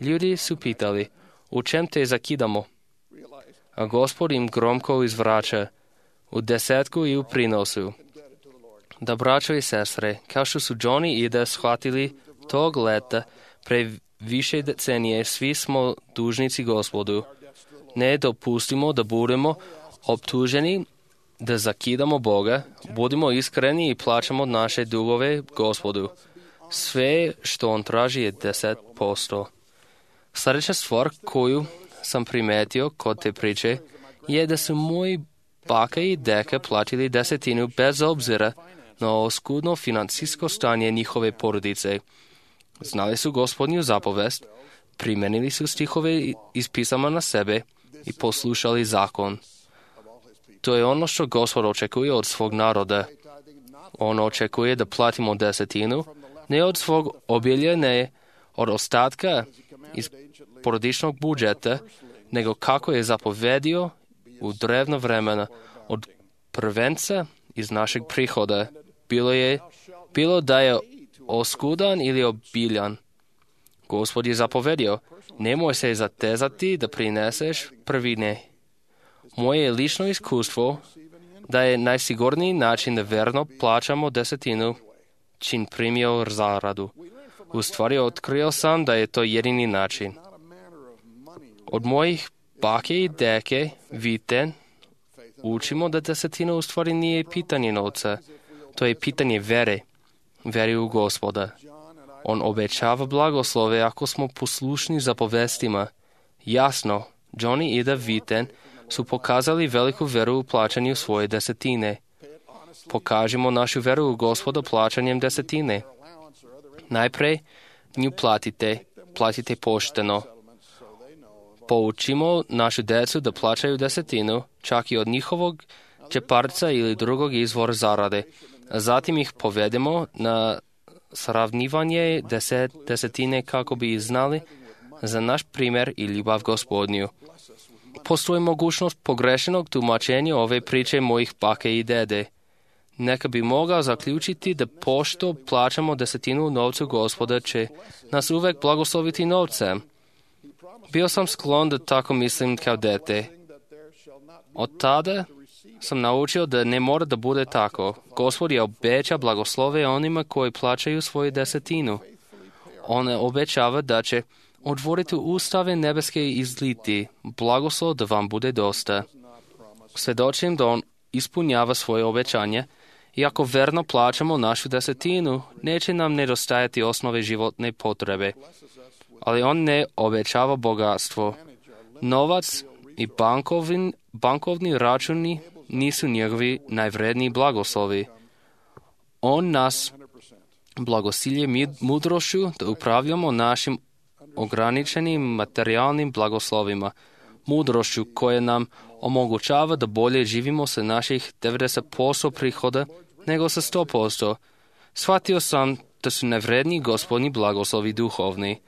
Ljudi su pitali: u čem te zakidamo? A Gospod im gromko izvraća: u 10 i u prinosu. Da, braćo i sestre, kao što su John i Ida shvatili tog leta pre više decenije, svi smo dužnici Gospodu. Ne dopustimo da budemo optuženi da zakidamo Boga, budimo iskreni i plaćamo naše dugove Gospodu. Sve što on traži je 10%. Sljedeća stvar koju sam primetio kod te priče je da su moji baka i deka platili 10 bez obzira na oskudno financijsko stanje njihove porodice. Znali su Gospodnju zapovest, primenili su stihove iz pisama na sebe i poslušali zakon. To je ono što Gospod očekuje od svog naroda. On očekuje da platimo 10, ne od svog obilja, ne od ostatka iz porodičnog budžeta, nego kako je zapovedio u drevno vremena, od prvenca iz našeg prihoda, bilo da je oskudan ili obiljan. Gospod je zapovedio: nemoj se zatezati da prineseš prvine. Moje je lično iskustvo da je najsigurniji način da verno plaćamo 10 čim primio zaradu. U stvari otkrio sam da je to jedini način. Od mojih bake i deke, Viten, učimo da 10 u stvari nije pitanje novca. To je pitanje vere u Gospoda. On obećava blagoslove ako smo poslušni zapovestima. Jasno, John i Ida Viten su pokazali veliku veru u plaćanju svoje 10. Pokažimo našu veru u Gospoda plaćanjem 10. Najprej nju platite pošteno. Poučimo našu decu da plaćaju 10, čak i od njihovog džeparca ili drugog izvora zarade. Zatim ih povedemo na sravnivanje 10 kako bi znali za naš primjer i ljubav Gospodnju. Postoji mogućnost pogrešenog tumačenja ove priče mojih bake i dede. Neka bi mogao zaključiti da pošto plaćamo 10 novcu Gospoda će nas uvek blagosloviti novcem. Bio sam sklon da tako mislim kao dete. Od tada sam naučio da ne mora da bude tako. Gospod je obeća blagoslove onima koji plaćaju svoju 10. On obećava da će otvoriti ustave nebeske i izliti blagoslov da vam bude dosta. Svedočim da on ispunjava svoje obećanje i ako verno plaćamo našu 10, neće nam nedostajati osnove životne potrebe. Ali on ne obećava bogatstvo. Novac i bankovni računi nisu njegovi najvredniji blagoslovi. On nas blagosilje mudrošću da upravljamo našim ograničenim materijalnim blagoslovima, mudrošću koja nam omogućava da bolje živimo sa naših 90% prihoda nego sa 100%. Shvatio sam da su najvredniji Gospodnji blagoslovi duhovni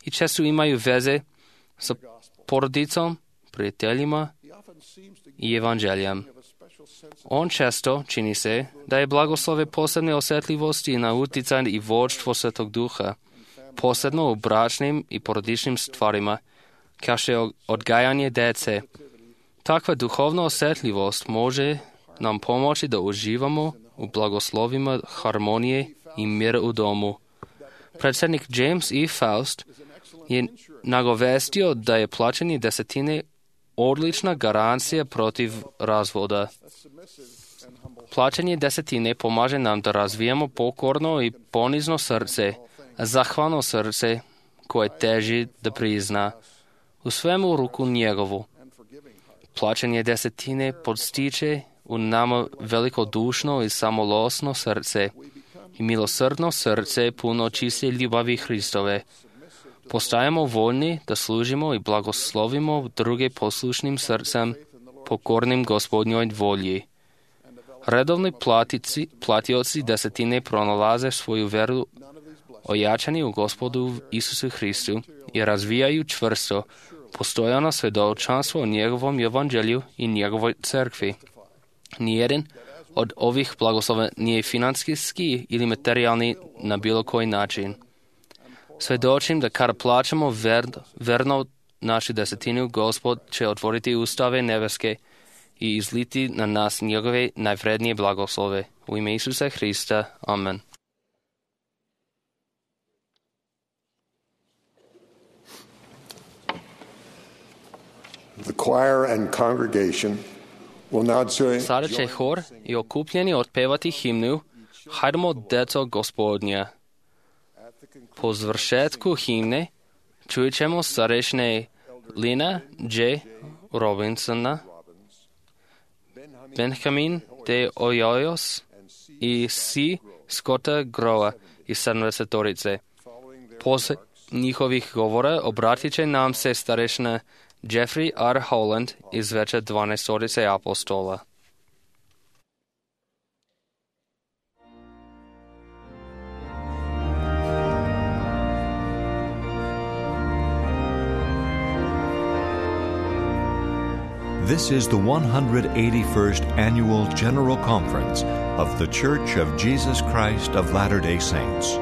i često imaju veze sa porodicom, prijateljima i evanđeljem. On često čini se da je blagoslove posebne osjetljivosti na uticaj i vođstvo Svetog Duha. posebno u bračnim i porodičnim stvarima, kao što je odgajanje dece. Takva duhovna osjetljivost može nam pomoći da uživamo u blagoslovima harmonije i mira u domu. Predsjednik James E. Faust je nagovestio da je plaćanje desetine odlična garancija protiv razvoda. Plaćanje desetine pomaže nam da razvijamo pokorno i ponizno srce, a zahvalno srce koje teži da prizna u svemu ruku njegovu. Plaćanje desetine podstiče u nama velikodušno i samolosno srce i milosrdno srce puno čiste ljubavi Hristove. Postajemo voljni da služimo i blagoslovimo druge poslušnim srcem, pokornim Gospodnjoj volji. Redovni platioci desetine pronalaze svoju veru ojačani u Gospodu Isusu Hristu i razvijaju čvrsto, postojano svjedočanstvo o njegovom evanđelju i njegovoj crkvi. Nijedan od ovih blagoslova nije financijski ili materijalni na bilo koji način. Svjedočim da kada plaćamo verno našu desetinu, Gospod će otvoriti ustave nebeske i izliti na nas njegove najvrednije blagoslove. U ime Isusa Hrista. Amen. The choir and congregation will now join. Sada će hor i okupljeni otpevati himnu Hajdemo deco Gospodnja. Po završetku himne čujet ćemo starešine Lina J. Robinsona, Benjamin de Hoyos i C. Scotta Groa iz 70-torice. Poslije njihovih govora obratit će nam se starešina Jeffrey R. Holland iz veće 12-torice apostola. This is the 181st Annual General Conference of The Church of Jesus Christ of Latter-day Saints.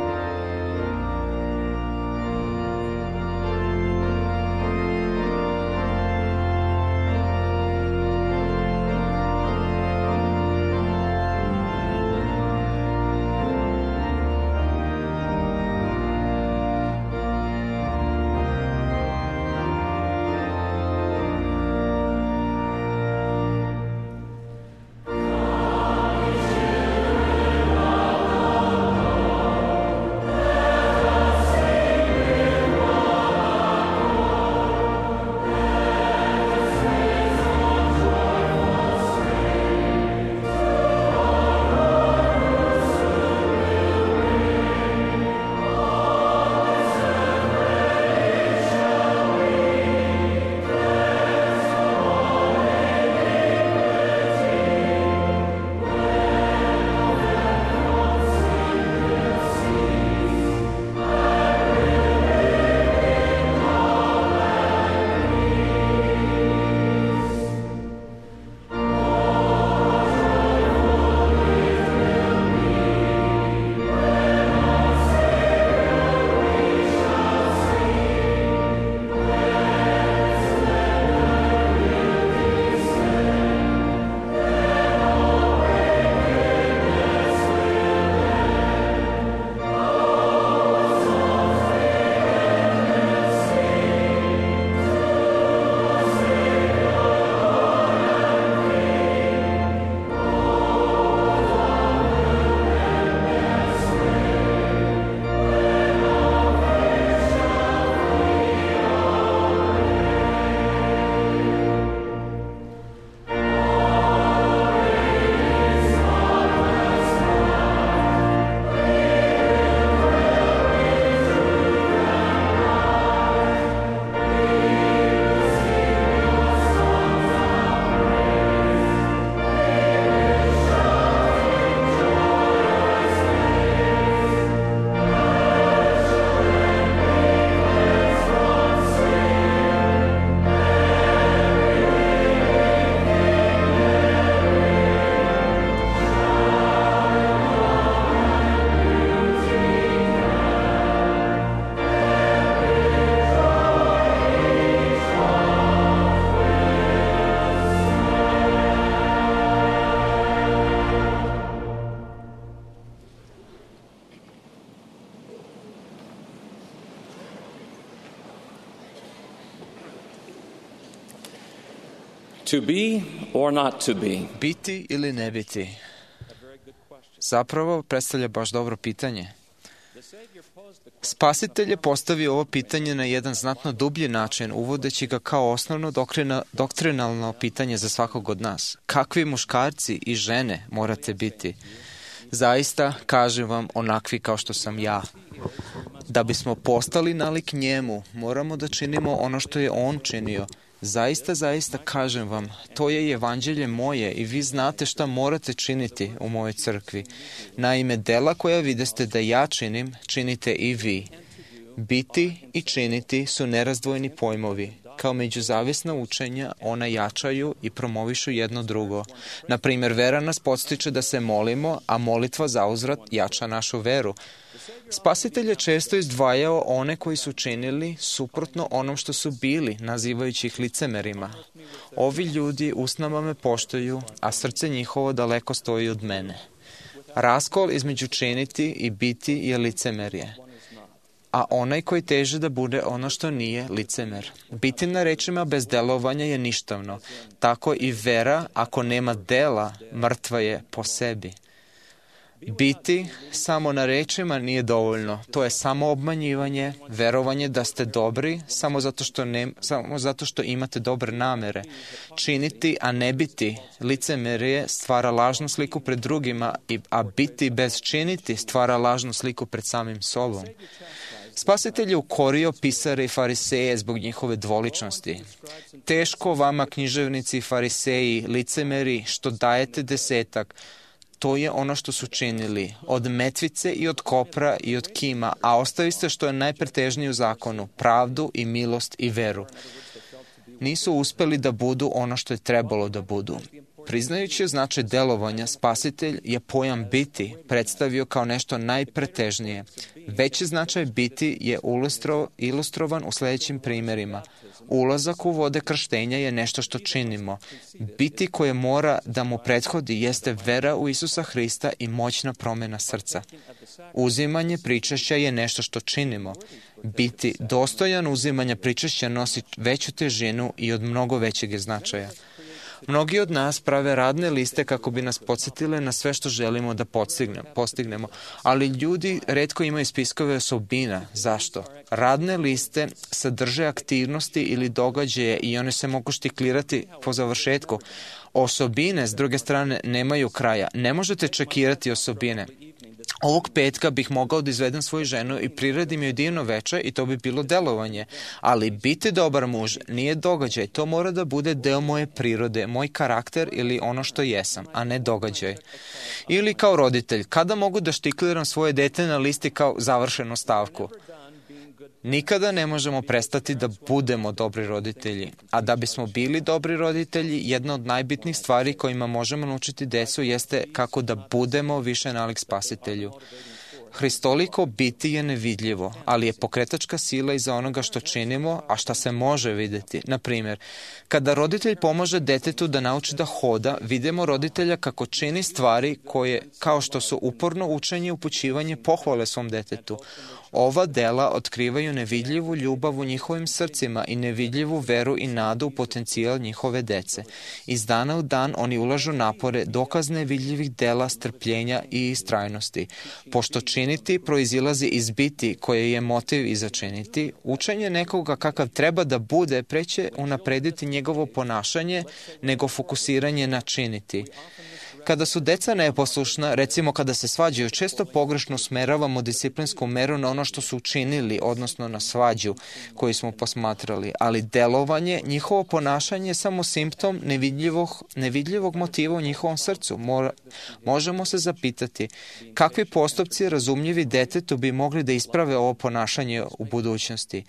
To be or not to be? Biti ili ne biti? Zapravo predstavlja baš dobro pitanje. Spasitelj je postavio ovo pitanje na jedan znatno dublji način, uvodeći ga kao osnovno doktrinalno pitanje za svakog od nas. Kakvi muškarci i žene morate biti? Zaista, kažem vam, onakvi kao što sam ja. Da bismo postali nalik njemu, moramo da činimo ono što je on činio. Zaista, kažem vam, to je evanđelje moje i vi znate šta morate činiti u mojoj crkvi. Naime, dela koja videste da ja činim, činite i vi. Biti i činiti su nerazdvojni pojmovi. Kao međuzavisna učenja, ona jačaju i promovišu jedno drugo. Naprimjer, vera nas podstiče da se molimo, a molitva zauzvrat jača našu veru. Spasitelj je često izdvajao one koji su činili suprotno onom što su bili, nazivajući ih licemerima. Ovi ljudi usnama me poštuju, a srce njihovo daleko stoji od mene. Raskol između činiti i biti je licemerje. A onaj koji teže da bude ono što nije, licemer. Biti na rečima bez delovanja je ništavno. Tako i vera, ako nema dela, mrtva je po sebi. Biti samo na rečima nije dovoljno. To je samo obmanjivanje, verovanje da ste dobri samo zato što imate dobre namere. Činiti, a ne biti, licemerje stvara lažnu sliku pred drugima, a biti bez činiti stvara lažnu sliku pred samim sobom. Spasitelj je ukorio pisare i fariseje zbog njihove dvoličnosti. Teško vama, književnici i fariseji, licemeri, što dajete desetak. To je ono što su činili, od metvice i od kopra i od kima, a ostaviste što je najpretežnije u zakonu, pravdu i milost i veru. Nisu uspeli da budu ono što je trebalo da budu. Priznajući značaj delovanja, Spasitelj je pojam biti predstavio kao nešto najpretežnije. Veći značaj biti je ilustrovan u sljedećim primjerima. Ulazak u vode krštenja je nešto što činimo. Biti koje mora da mu prethodi jeste vera u Isusa Hrista i moćna promjena srca. Uzimanje pričešća je nešto što činimo. Biti dostojan uzimanja pričešća nosi veću težinu i od mnogo većeg je značaja. Mnogi od nas prave radne liste kako bi nas podsjetile na sve što želimo da postignemo, ali ljudi retko imaju spiskove osobina. Zašto? Radne liste sadrže aktivnosti ili događaje i one se mogu štiklirati po završetku. Osobine, s druge strane, nemaju kraja. Ne možete čekirati osobine. Ovog petka bih mogao da izvedem svoju ženu i priredim joj divno veče i to bi bilo delovanje. Ali biti dobar muž nije događaj. To mora da bude deo moje prirode, moj karakter ili ono što jesam, a ne događaj. Ili kao roditelj, kada mogu da štikliram svoje dete na listi kao završenu stavku? Nikada ne možemo prestati da budemo dobri roditelji. A da bismo bili dobri roditelji, jedna od najbitnijih stvari kojima možemo naučiti decu jeste kako da budemo više nalik Spasitelju. Hristoliko biti je nevidljivo, ali je pokretačka sila iza onoga što činimo, a šta se može vidjeti. Na primjer, kada roditelj pomaže detetu da nauči da hoda, vidimo roditelja kako čini stvari koje, kao što su uporno učenje i upućivanje, pohvale svom detetu. Ova dela otkrivaju nevidljivu ljubav u njihovim srcima i nevidljivu veru i nadu u potencijal njihove dece. Iz dana u dan oni ulažu napore, dokaz nevidljivih dela, strpljenja i istrajnosti. Pošto činiti proizilazi iz biti koje je motiv i za činiti, učenje nekoga kakav treba da bude preće unaprediti njegovo ponašanje nego fokusiranje na činiti. Kada su deca neposlušna, recimo kada se svađaju, često pogrešno usmeravamo disciplinsku meru na ono što su učinili, odnosno na svađu koju smo posmatrali, ali delovanje, njihovo ponašanje je samo simptom nevidljivog motiva u njihovom srcu. Možemo se zapitati kakvi postupci razumljivi detetu bi mogli da isprave ovo ponašanje u budućnosti.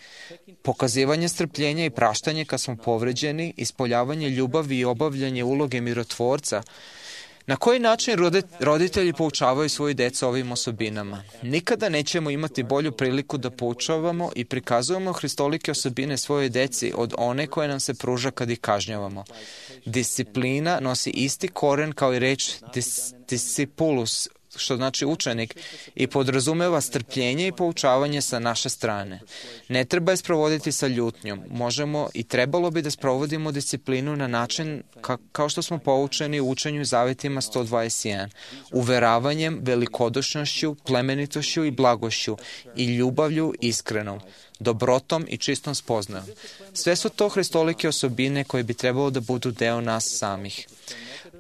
Pokazivanje strpljenja i praštanje kad smo povređeni, ispoljavanje ljubavi i obavljanje uloge mirotvorca. Na koji način roditelji poučavaju svoju decu ovim osobinama? Nikada nećemo imati bolju priliku da poučavamo i prikazujemo hristolike osobine svojoj deci od one koje nam se pruža kad ih kažnjavamo. Disciplina nosi isti koren kao i reč discipulus što znači učenik, i podrazumeva strpljenje i poučavanje sa naše strane. Ne treba je sprovoditi sa ljutnjom. Možemo i trebalo bi da sprovodimo disciplinu na način kao što smo poučeni u učenju Zavetima 121, uveravanjem, velikodušnošću, plemenitošću i blagošću i ljubavlju iskrenom, dobrotom i čistom spoznajom. Sve su to hristolike osobine koje bi trebalo da budu deo nas samih.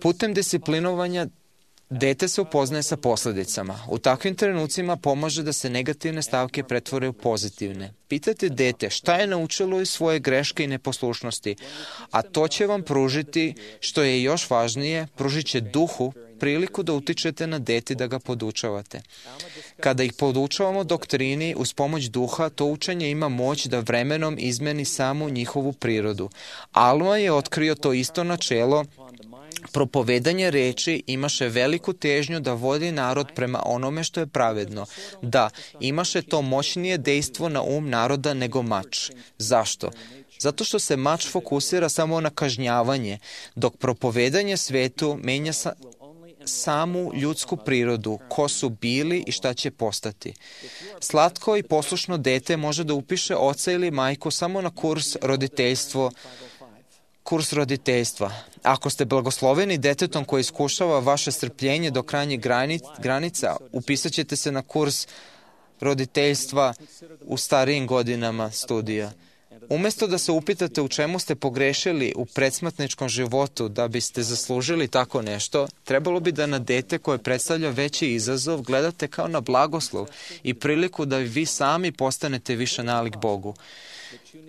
Putem disciplinovanja dete se upoznaje sa posledicama. U takvim trenucima pomaže da se negativne stavke pretvore u pozitivne. Pitajte dete šta je naučilo iz svoje greške i neposlušnosti, a to će vam pružiti, što je još važnije, pružit će duhu priliku da utičete na dete da ga podučavate. Kada ih podučavamo doktrini uz pomoć duha, to učenje ima moć da vremenom izmeni samu njihovu prirodu. Alma je otkrio to isto načelo. Propovedanje reči imaše veliku težnju da vodi narod prema onome što je pravedno. Da, imaše to moćnije dejstvo na naroda nego mač. Zašto? Zato što se mač fokusira samo na kažnjavanje, dok propovedanje svetu menja samu ljudsku prirodu, ko su bili i šta će postati. Slatko i poslušno dete može da upiše oca ili majku samo na kurs roditeljstva. Ako ste blagosloveni detetom koji iskušava vaše strpljenje do krajnjih granica, upisat ćete se na kurs roditeljstva u starijim godinama studija. Umesto da se upitate u čemu ste pogrešili u predsmrtničkom životu da biste zaslužili tako nešto, trebalo bi da na dete koje predstavlja veći izazov gledate kao na blagoslov i priliku da vi sami postanete više nalik Bogu.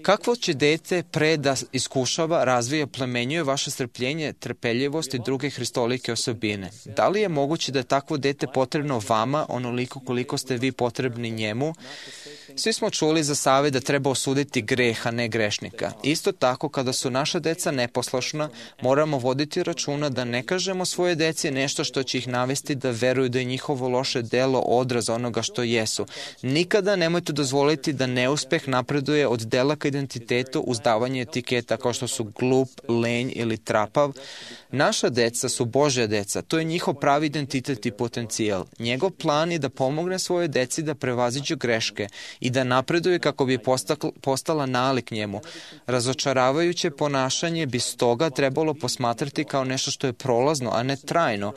Kakvo će dete pre da iskušava, razvija, plemenjuje vaše strpljenje, trpeljivost i druge hristolike osobine? Da li je moguće da je takvo dete potrebno vama onoliko koliko ste vi potrebni njemu? Svi smo čuli za savet da treba osuditi greh, a ne grešnika. Isto tako, kada su naša deca neposlušna, moramo voditi računa da ne kažemo svoje deci nešto što će ih navesti da veruju da je njihovo loše delo odraz onoga što jesu. Nikada nemojte dozvoliti da neuspeh napreduje od dela ka identitetu uz davanje etiketa kao što su glup, lenj ili trapav. Naša deca su Božja deca, to je njihov pravi identitet i potencijal. Njegov plan je da pomogne svoje deci da prevaziđu greške i da napreduje kako bi postala nalik njemu. Razočaravajuće ponašanje bi stoga trebalo posmatrati kao nešto što je prolazno, a ne trajno,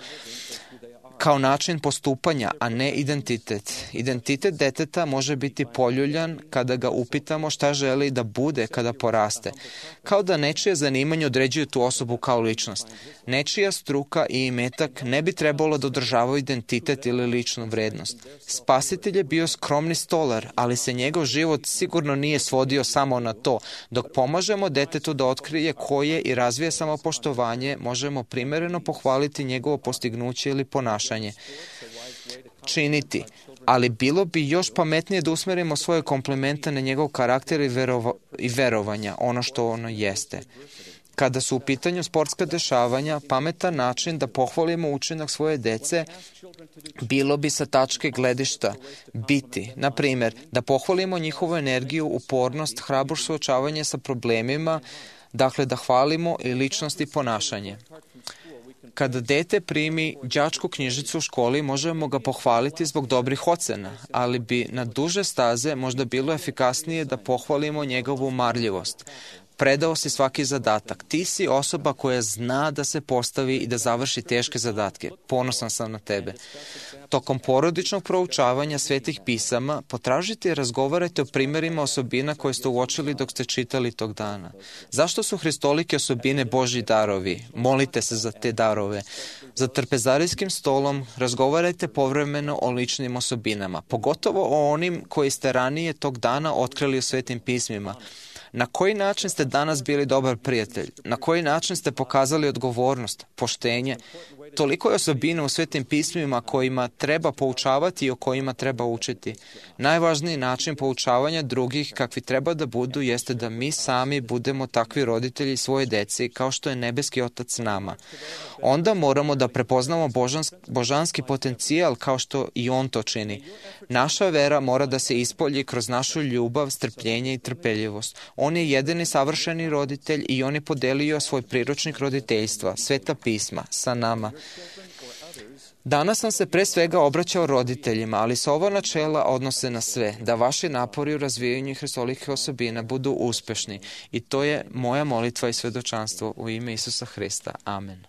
kao način postupanja, a ne identitet. Identitet deteta može biti poljuljan kada ga upitamo šta želi da bude kada poraste. Kao da nečije zanimanje određuje tu osobu kao ličnost. Nečija struka i imetak ne bi trebalo da održavaju identitet ili ličnu vrednost. Spasitelj je bio skromni stolar, ali se njegov život sigurno nije svodio samo na to. Dok pomažemo detetu da otkrije koje i razvije samopoštovanje, možemo primereno pohvaliti njegovo postignuće ili ponašanje. Činiti, ali bilo bi još pametnije da usmerimo svoje komplimente na njegov karakter i verovanja, ono što ono jeste. Kada su u pitanju sportska dešavanja, pametan način da pohvalimo učinak svoje dece bilo bi sa tačke gledišta biti. Na primjer, da pohvalimo njihovu energiju, upornost, hrabro suočavanje sa problemima, dakle da hvalimo i ličnost i ponašanje. Kada dete primi đačku knjižicu u školi, možemo ga pohvaliti zbog dobrih ocena, ali bi na duže staze možda bilo efikasnije da pohvalimo njegovu marljivost. Predao si svaki zadatak. Ti si osoba koja zna da se postavi i da završi teške zadatke. Ponosan sam na tebe. Tokom porodičnog proučavanja svetih pisama potražite i razgovarajte o primjerima osobina koje ste uočili dok ste čitali tog dana. Zašto su hristolike osobine Božji darovi? Molite se za te darove. Za trpezarijskim stolom razgovarajte povremeno o ličnim osobinama, pogotovo o onim koji ste ranije tog dana otkrili u svetim pismima. Na koji način ste danas bili dobar prijatelj? Na koji način ste pokazali odgovornost, poštenje? Toliko je osobina u svetim pismima kojima treba poučavati i o kojima treba učiti. Najvažniji način poučavanja drugih kakvi treba da budu jeste da mi sami budemo takvi roditelji svoje deci kao što je nebeski Otac nama. Onda moramo da prepoznamo božanski potencijal kao što i On to čini. Naša vera mora da se ispolji kroz našu ljubav, strpljenje i trpeljivost. On je jedini savršeni roditelj i On je podelio svoj priručnik roditeljstva, Sveta pisma, sa nama. Danas sam se pre svega obraćao roditeljima, ali se ova načela odnose na sve, da vaši napori u razvijanju hristolikih osobina budu uspešni. I to je moja molitva i svedočanstvo u ime Isusa Hrista. Amen.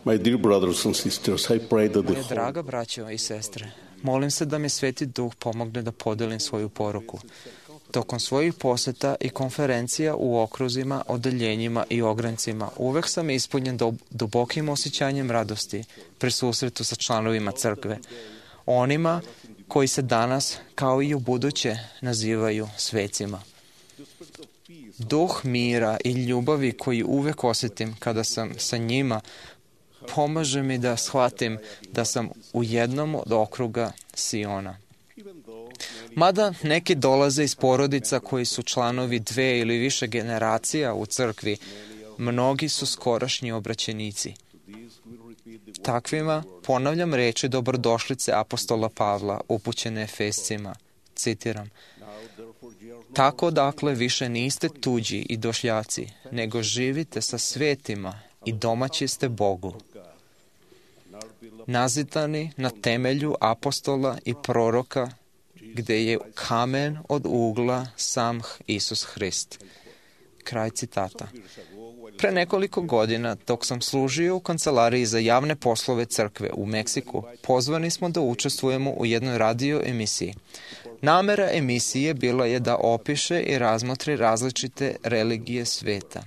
My dear brothers and sisters, I pray that the Moje draga braćo i sestre, molim se da mi Sveti Duh pomogne da podelim svoju poruku. Tokom svojih poseta i konferencija u okruzima, odeljenjima i ograncima uvek sam ispunjen dubokim osjećanjem radosti pri susretu sa članovima crkve, onima koji se danas, kao i u buduće, nazivaju svecima. Duh mira i ljubavi koji uvek osjetim kada sam sa njima pomaže mi da shvatim da sam u jednom od okruga Siona. Mada neki dolaze iz porodica koji su članovi 2 ili više generacija u crkvi, mnogi su skorašnji obraćenici. Takvima ponavljam reči dobrodošlice apostola Pavla upućene Efescima. Citiram: Tako dakle više niste tuđi i došljaci, nego živite sa svetima i domaći ste Bogu, nazidani na temelju apostola i proroka, gde je kamen od ugla sam Isus Hrist. Kraj citata. Pre nekoliko godina, dok sam služio u kancelariji za javne poslove crkve u Meksiku, pozvani smo da učestvujemo u jednoj radio emisiji. Namera emisije bila je da opiše i razmotri različite religije sveta.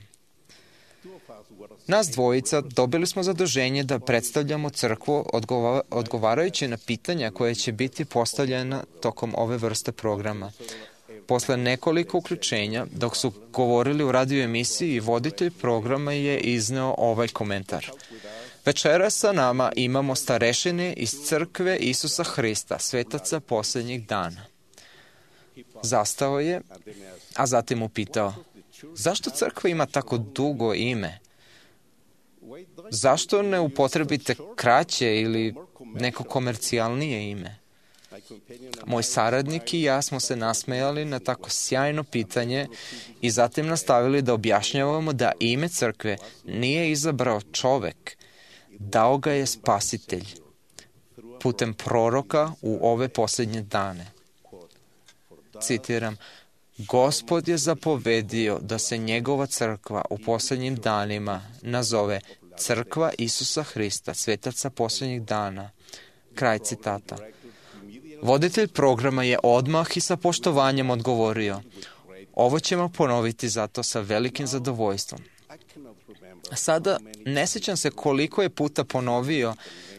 Nas dvojica dobili smo zaduženje da predstavljamo crkvu odgovarajući na pitanja koje će biti postavljena tokom ove vrste programa. Posle nekoliko uključenja, dok su govorili u radio emisiji, voditelj programa je izneo ovaj komentar. Večeras sa nama imamo starešine iz crkve Isusa Hrista, svetaca poslednjih dana. Zastao je, a zatim upitao: Zašto crkva ima tako dugo ime? Zašto ne upotrebite kraće ili neko komercijalnije ime? Moj saradnik i ja smo se nasmejali na tako sjajno pitanje i zatim nastavili da objašnjavamo da ime crkve nije izabrao čovek, dao ga je Spasitelj putem proroka u ove posljednje dane. Citiram: Gospod je zapovedio da se njegova crkva u posljednjim danima nazove Crkva Isusa Hrista, svetaca posljednjih dana. Kraj citata. Voditelj programa je odmah i sa poštovanjem odgovorio: Ovo ćemo ponoviti zato sa velikim zadovoljstvom. Sada ne sjećam se koliko je puta ponovio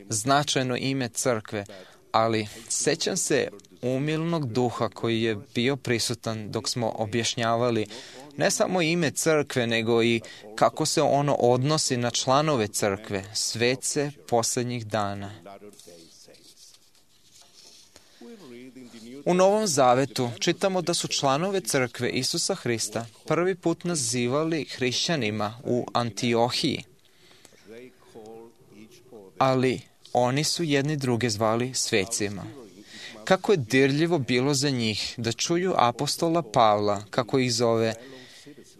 značajno ime crkve, ali sjećam se umilnog duha koji je bio prisutan dok smo objašnjavali ne samo ime crkve, nego i kako se ono odnosi na članove crkve, svece posljednjih dana. U Novom Zavetu čitamo da su članove crkve Isusa Hrista prvi put nazivali hrišćanima u Antiohiji, ali oni su jedni druge zvali svecima. Kako je dirljivo bilo za njih da čuju apostola Pavla, kako ih zove: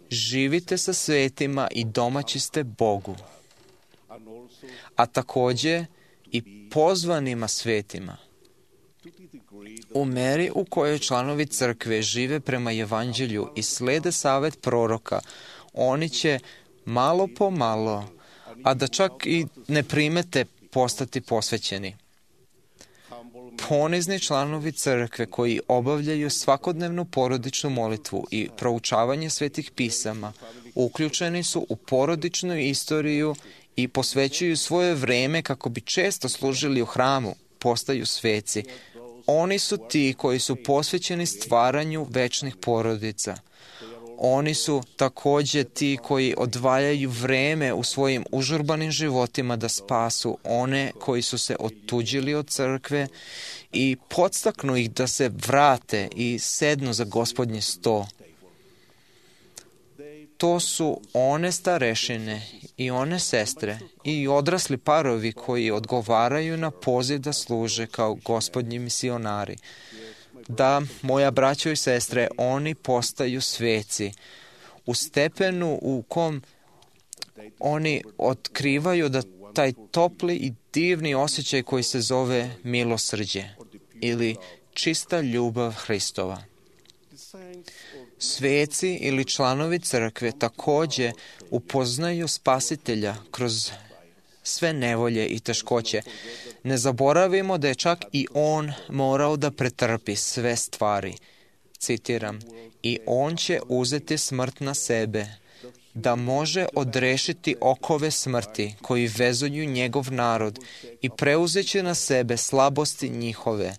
živite sa svetima i domaći ste Bogu, a takođe i pozvanima svetima. U meri u kojoj članovi crkve žive prema evanđelju i slede savet proroka, oni će malo po malo, a da čak i ne primete, postati posvećeni. Ponizni članovi crkve koji obavljaju svakodnevnu porodičnu molitvu i proučavanje svetih pisama, uključeni su u porodičnu istoriju i posvećuju svoje vreme kako bi često služili u hramu, postaju sveci. Oni su ti koji su posvećeni stvaranju večnih porodica. Oni su takođe ti koji odvajaju vreme u svojim užurbanim životima da spasu one koji su se otuđili od crkve i podstaknu ih da se vrate i sednu za Gospodnji sto. To su one starešine i one sestre i odrasli parovi koji odgovaraju na poziv da služe kao Gospodnji misionari. da, moja braćo i sestre, oni postaju sveci u stepenu u kom oni otkrivaju da taj topli i divni osjećaj koji se zove milosrđe ili čista ljubav Hristova. Sveci ili članovi crkve takođe upoznaju Spasitelja kroz sve nevolje i teškoće. Ne zaboravimo da je čak i on morao da pretrpi sve stvari. Citiram, i on će uzeti smrt na sebe, da može odrešiti okove smrti koji vezuju njegov narod i preuzeći na sebe slabosti njihove,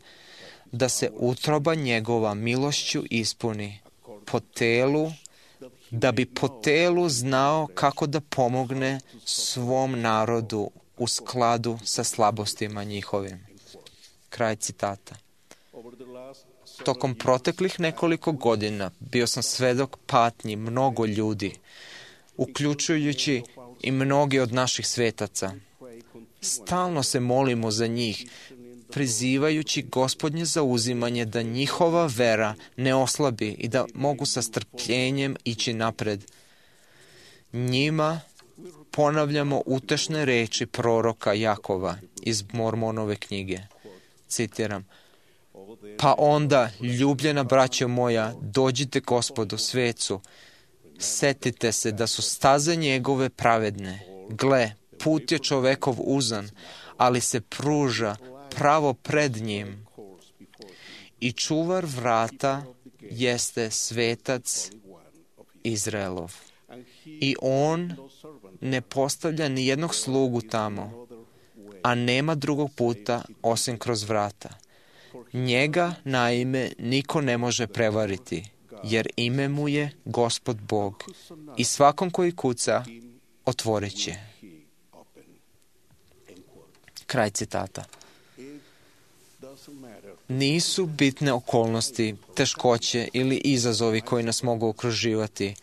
da se utroba njegova milošću ispuni po telu, da bi po telu znao kako da pomogne svom narodu u skladu sa slabostima njihovim. Kraj citata. Tokom proteklih nekoliko godina bio sam svedok patnji mnogo ljudi, uključujući i mnogi od naših svetaca. Stalno se molimo za njih, prizivajući Gospodnje zauzimanje da njihova vera ne oslabi i da mogu sa strpljenjem ići napred. Njima ponavljamo utešne reči proroka Jakova iz Mormonove knjige. Citiram, pa onda, ljubljena braćo moja, dođite Gospodu svecu, setite se da su staze njegove pravedne. Gle, put je čovekov uzan, ali se pruža pravo pred njim. I čuvar vrata jeste svetac Izraelov. I on ne postavlja ni jednog slugu tamo, a nema drugog puta osim kroz vrata. Njega, naime, niko ne može prevariti, jer ime mu je Gospod Bog i svakom koji kuca otvorit će. Kraj citata. Nisu bitne okolnosti, teškoće ili izazovi koji nas mogu okruživati.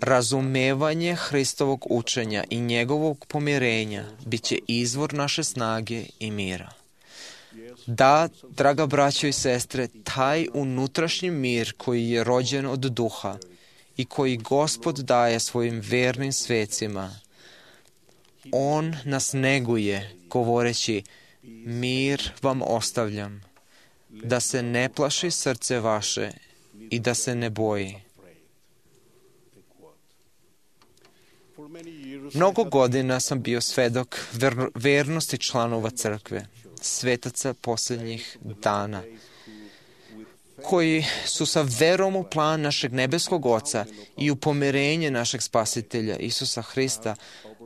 Razumevanje Hristovog učenja i njegovog pomirenja bit će izvor naše snage i mira. Da, draga braćo i sestre, taj unutrašnji mir koji je rođen od duha i koji Gospod daje svojim vernim svecima, on nas neguje govoreći, mir vam ostavljam, da se ne plaši srce vaše i da se ne boji. Mnogo godina sam bio svedok vernosti članova crkve, svetaca posljednjih dana, koji su sa verom u plan našeg nebeskog Oca i u pomirenje našeg Spasitelja Isusa Hrista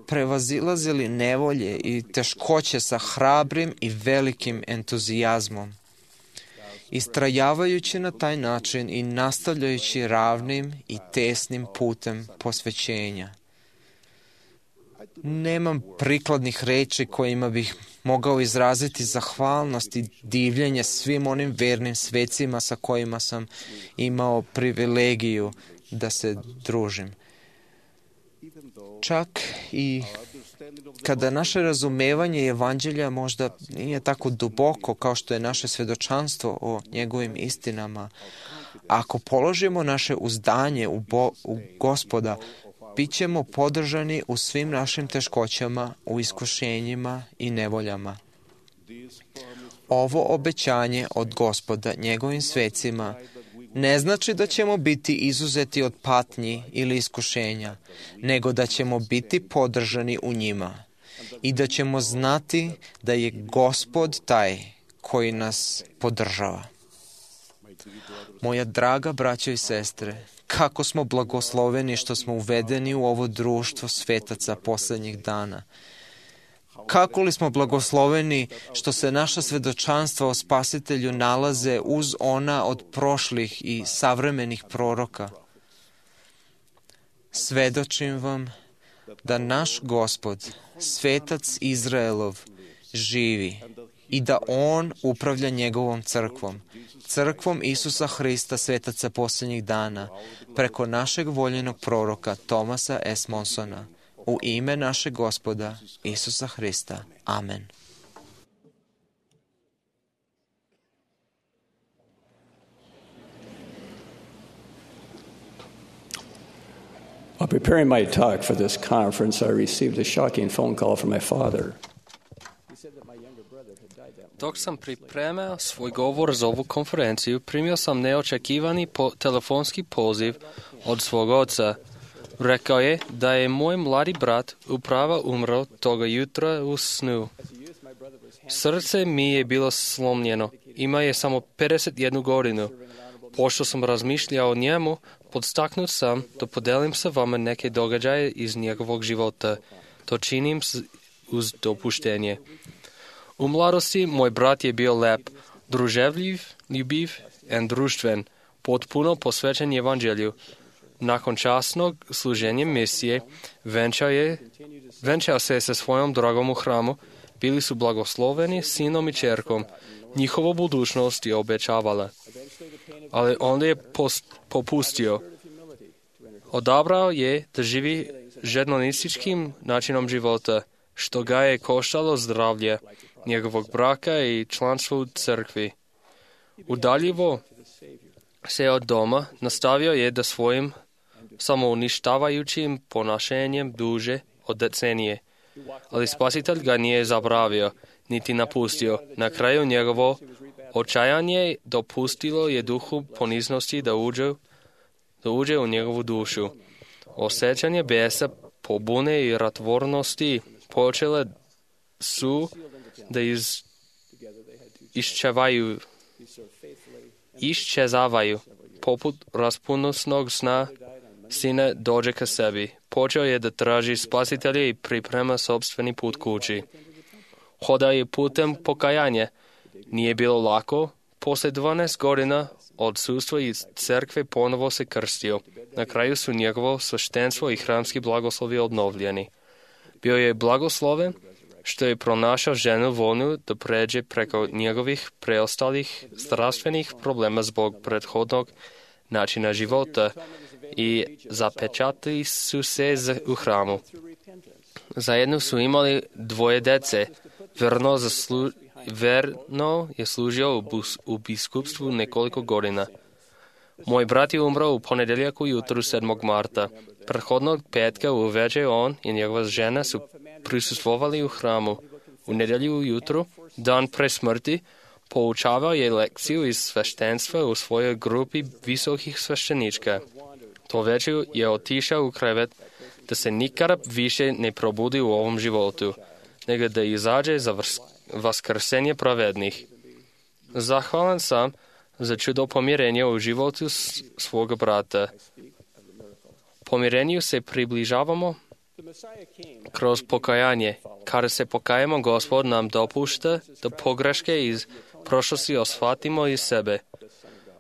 prevazilazili nevolje i teškoće sa hrabrim i velikim entuzijazmom. Istrajavajući na taj način i nastavljajući ravnim i tesnim putem posvećenja. Nemam prikladnih reči kojima bih mogao izraziti zahvalnost i divljenje svim onim vernim svecima sa kojima sam imao privilegiju da se družim. Čak i kada naše razumevanje Evanđelja možda nije tako duboko kao što je naše svedočanstvo o njegovim istinama, ako položimo naše uzdanje u Gospoda, bit ćemo podržani u svim našim teškoćama, u iskušenjima i nevoljama. Ovo obećanje od Gospoda njegovim svecima ne znači da ćemo biti izuzeti od patnji ili iskušenja, nego da ćemo biti podržani u njima i da ćemo znati da je Gospod taj koji nas podržava. Moja draga braćo i sestre, kako smo blagosloveni što smo uvedeni u ovo društvo svetaca poslednjih dana. Kako li smo blagosloveni što se naša svedočanstva o Spasitelju nalaze uz ona od prošlih i savremenih proroka. Svedočim vam da naš Gospod, svetac Izraelov, živi i da on upravlja njegovom crkvom, crkvom Isusa Hrista, svetaca posljednjih dana, preko našeg voljenog proroka Thomasa S. Monsona, u ime našeg Gospoda Isusa Hrista. Amen. While preparing my talk for this conference, I received a shocking phone call from my father. Dok sam pripremao svoj govor za ovu konferenciju, primio sam neočekivani telefonski poziv od svog oca. Rekao je da je moj mladi brat upravo umro toga jutra u snu. Srce mi je bilo slomljeno. Ima je samo 51 godinu. Pošto sam razmišljao o njemu, podstaknut sam da podelim sa vama neke događaje iz njegovog života. To činim uz dopuštenje. U mladosti moj brat je bio lep, druževljiv, ljubiv i društven, potpuno posvećen evanđelju. Nakon časnog služenja misije, venčao se sa svojom dragom u hramu, bili su blagosloveni sinom i čerkom. Njihova budućnost je obećavala. Ali onda je popustio. Odabrao je da živi žednonističkim načinom života, što ga je koštalo zdravlje, njegovog braka i članstvo u crkvi. Udaljivo se od doma, nastavio je da svojim samouništavajućim ponašanjem duže od decenije. Ali Spasitelj ga nije zaboravio, niti napustio. Na kraju njegovo očajanje dopustilo je duhu poniznosti da uđe u njegovu dušu. Osjećanje besa, pobune i ratvornosti počele su da iščezavaju. Poput raspunosnog sna, sine dođe ka sebi. Počeo je da traži Spasitelja i priprema sopstveni put kući. Hodao je putem pokajanja. Nije bilo lako. Poslije 12 godina odsustva iz crkve ponovo se krstio. Na kraju su njegovo sveštenstvo i hramski blagoslovi obnovljeni. Bio je blagosloven što je pronašao ženu voljnu da pređe preko njegovih preostalih zdravstvenih problema zbog prethodnog načina života i zapečatili su se u hramu. Zajedno su imali 2 dece. Verno je služio u biskupstvu nekoliko godina. Moj brat je umro u ponedjeljak ujutru 7. marta. Prethodnog petka uveče on i njegova žena su prisustvovali u hramu. U nedjelju ujutru, dan pre smrti, poučavao je lekciju iz sveštenstva u svojoj grupi visokih svešćenička. To večer je otišao u krevet da se nikada više ne probudi u ovom životu, nego da izađe za vaskrsenje pravednih. Zahvalan sam za čudo pomirenja u životu svoga brata. Pomirenju se približavamo kroz pokajanje. Kada se pokajemo, Gospod nam dopušta da pogreške iz prošlosti osvatimo iz sebe.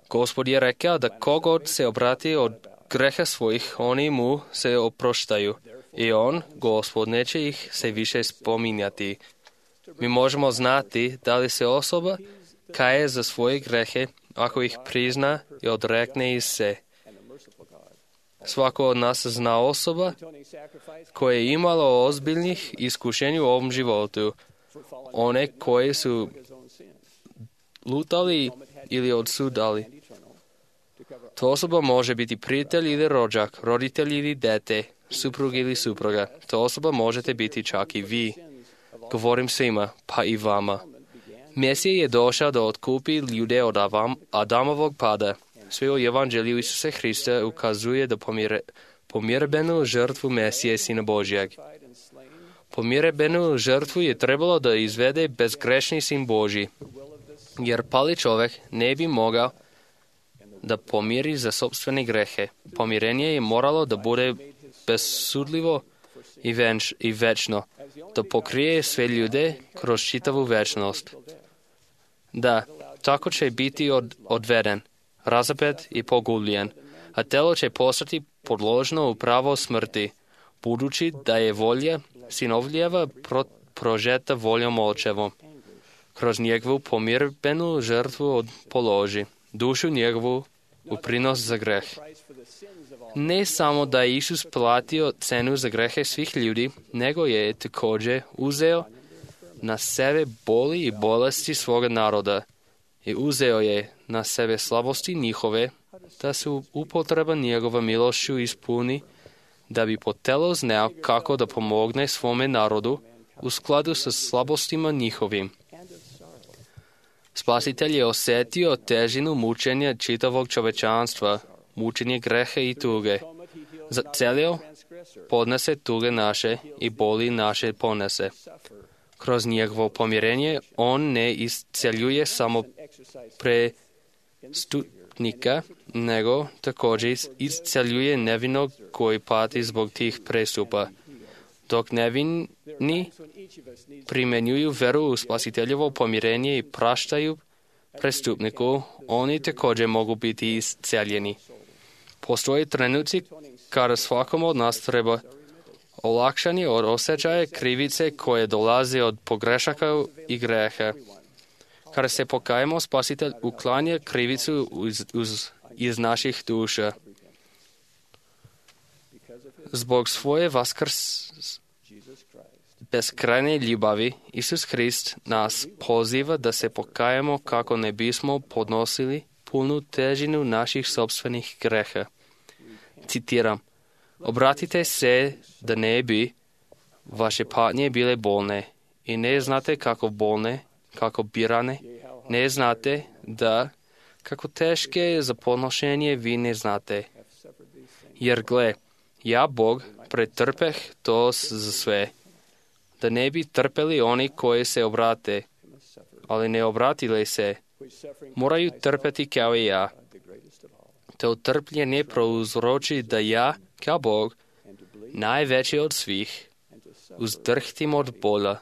Gospod je rekao da kogod se obrati od greha svojih, oni mu se oproštaju. I on, Gospod, neće ih se više spominjati. Mi možemo znati da li se osoba kaje za svoje grehe ako ih prizna i odrekne iz se. Svako od nas zna osoba koja je imala ozbiljnih iskušenja u ovom životu. One koje su lutali ili odsudali. To osoba može biti prijatelj ili rođak, roditelj ili dete, suprug ili supruga. To osoba možete biti čak i vi. Govorim svima, pa i vama. Mesija je došao da otkupi ljude od Adamovog pada. Sve u evanđelju Isusa Hrista ukazuje da pomirbenu žrtvu Mesije Sina Božjeg. Pomirbenu žrtvu je trebalo da izvede bezgrešni Sin Božji, jer pali čovjek ne bi mogao da pomiri za sopstvene grehe. Pomirenje je moralo da bude besudljivo i večno, da pokrije sve ljude kroz čitavu večnost. Da, tako će biti odveden, razapet i pogubljen, a telo će postati podložno u pravo smrti, budući da je volja sinovljeva prožeta voljom očevom. Kroz njegovu pomirbenu žrtvu položi dušu njegovu u prinos za greh. Ne samo da je Isus platio cenu za grehe svih ljudi, nego je također uzeo na sebe boli i bolesti svoga naroda i uzeo je na sebe slabosti njihove, da se upotreba njegova milošću ispuni da bi po telu znao kako da pomogne svome narodu u skladu sa slabostima njihovim. Spasitelj je osjetio težinu mučenja čitavog čovečanstva, mučenje greha i tuge. Zacelio podnese tuge naše i boli naše ponese. Kroz njegovo pomirenje on ne isceljuje samo prestupnika, nego također isceljuje nevinog koji pati zbog tih prestupa. Dok nevini primjenjuju veru u spasiteljevo pomirenje i praštaju prestupniku, oni također mogu biti isceljeni. Postoje trenuci kada svakom od nas treba olakšanje od osjećaja krivice koje dolaze od pogrešaka i greha. Kada se pokajemo, Spasitelj uklanja krivicu iz naših duša. Zbog svoje beskrajne ljubavi, Isus Hrist nas poziva da se pokajemo kako ne bismo podnosili punu težinu naših sopstvenih greha. Citiram: obratite se da ne bi vaše patnje bile bolne i ne znate kako bolne, kako birane, ne znate da kako teške za podnošenje vi ne znate. Jer gle, ja Bog pretrpeh to za sve, da ne bi trpeli oni koji se obrate, ali ne obratile se, moraju trpeti kao i ja. To trpljenje prouzroči da ja, kao Bog, najveći od svih, uzdrhtim od bola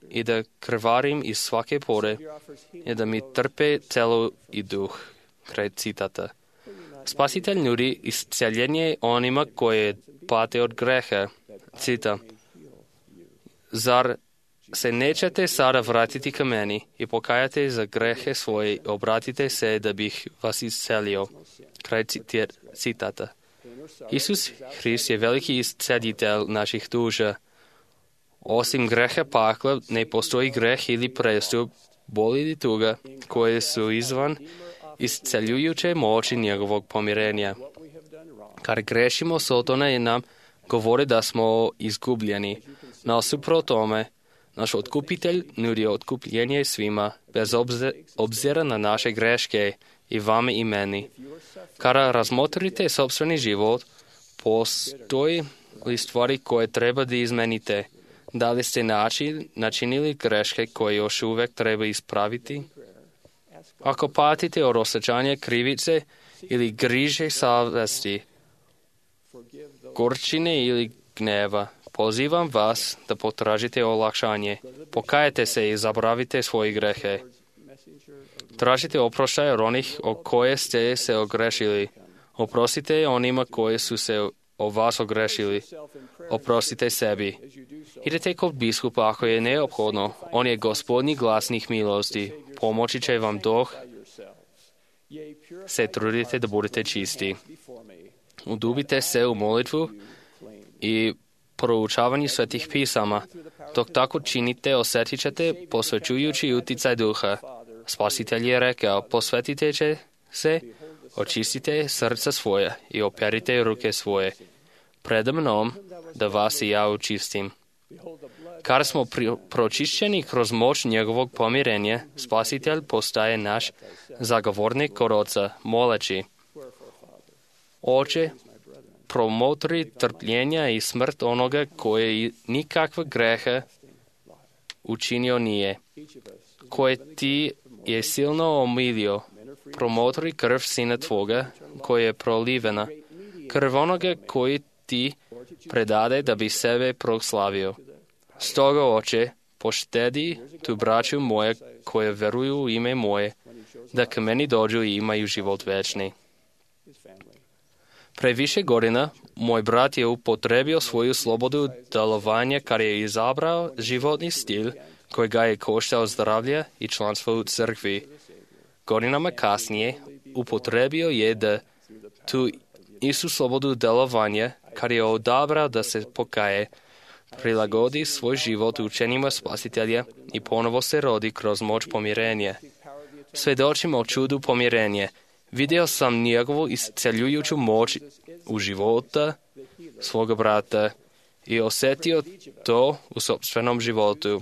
i da krvarim iz svake pore i da mi trpe telo i duh. Kraj citata. Spasitelj nudi isceljenje onima koje pate od greha. Citam: zar se nećete sada vratiti ka meni i pokajate za grehe svoje, obratite se da bih vas iscelio. Kraj citata. Isus Hrist je veliki isceljitelj naših duša. Osim greha pakla, ne postoji greh ili prestup, bol ili tuga, koje su izvan isceljujuće moći njegovog pomirenja. Kad grešimo, Sotona nam govori da smo izgubljeni. Nasuprot tome, naš otkupitelj nudi otkupljenje svima, bez obzira na naše greške, i vama i meni. Kada razmotrite sopstveni život, postoji li stvari koje treba da izmenite? Da li ste načinili greške koje još uvek treba ispraviti? Ako patite od osjećanja krivice ili griže savesti, gorčine ili gneva, pozivam vas da potražite olakšanje. Pokajete se i zaboravite svoje grehe. Tražite oproštaj od onih o koje ste se ogrešili. Oprostite onima koji su se o vas ogrešili. Oprostite sebi. Idete kod biskupa ako je neophodno. On je gospodnji glasnik milosti. Pomoći će vam dok se trudite da budete čisti. Udubite se u molitvu i proučavanju svetih pisama. Dok tako činite, osjetit ćete posvećujući uticaj duha. Spasitelj je rekao: posvetite se, očistite srca svoje i operite ruke svoje pred mnom, da vas i ja učistim. Kada smo pročišćeni kroz moć njegovog pomirenja, Spasitelj postaje naš zagovornik kod Oca, moleći: Oče, promotri trpljenja i smrt onoga koje nikakva greha učinio nije, koje ti je silno omilio. Promotri krv Sina Tvoga, koja je prolivena, krv onoga koji ti predade da bi sebe proslavio. Stoga, Oče, poštedi tu braću moje koje veruju u ime moje, da k meni dođu i imaju život večni. Pre više godina, moj brat je upotrebio svoju slobodu delovanja kad je izabrao životni stil koji ga je koštao zdravlja i članstvo u crkvi. Godinama kasnije upotrebio je da tu istu slobodu delovanja, kad je odabrao da se pokaje, prilagodi svoj život učenjima Spasitelja i ponovo se rodi kroz moć pomirenja. Svedočimo o čudu pomirenja. Vidio sam njegovu isceljujuću moć u života svoga brata i osjetio to u sopstvenom životu.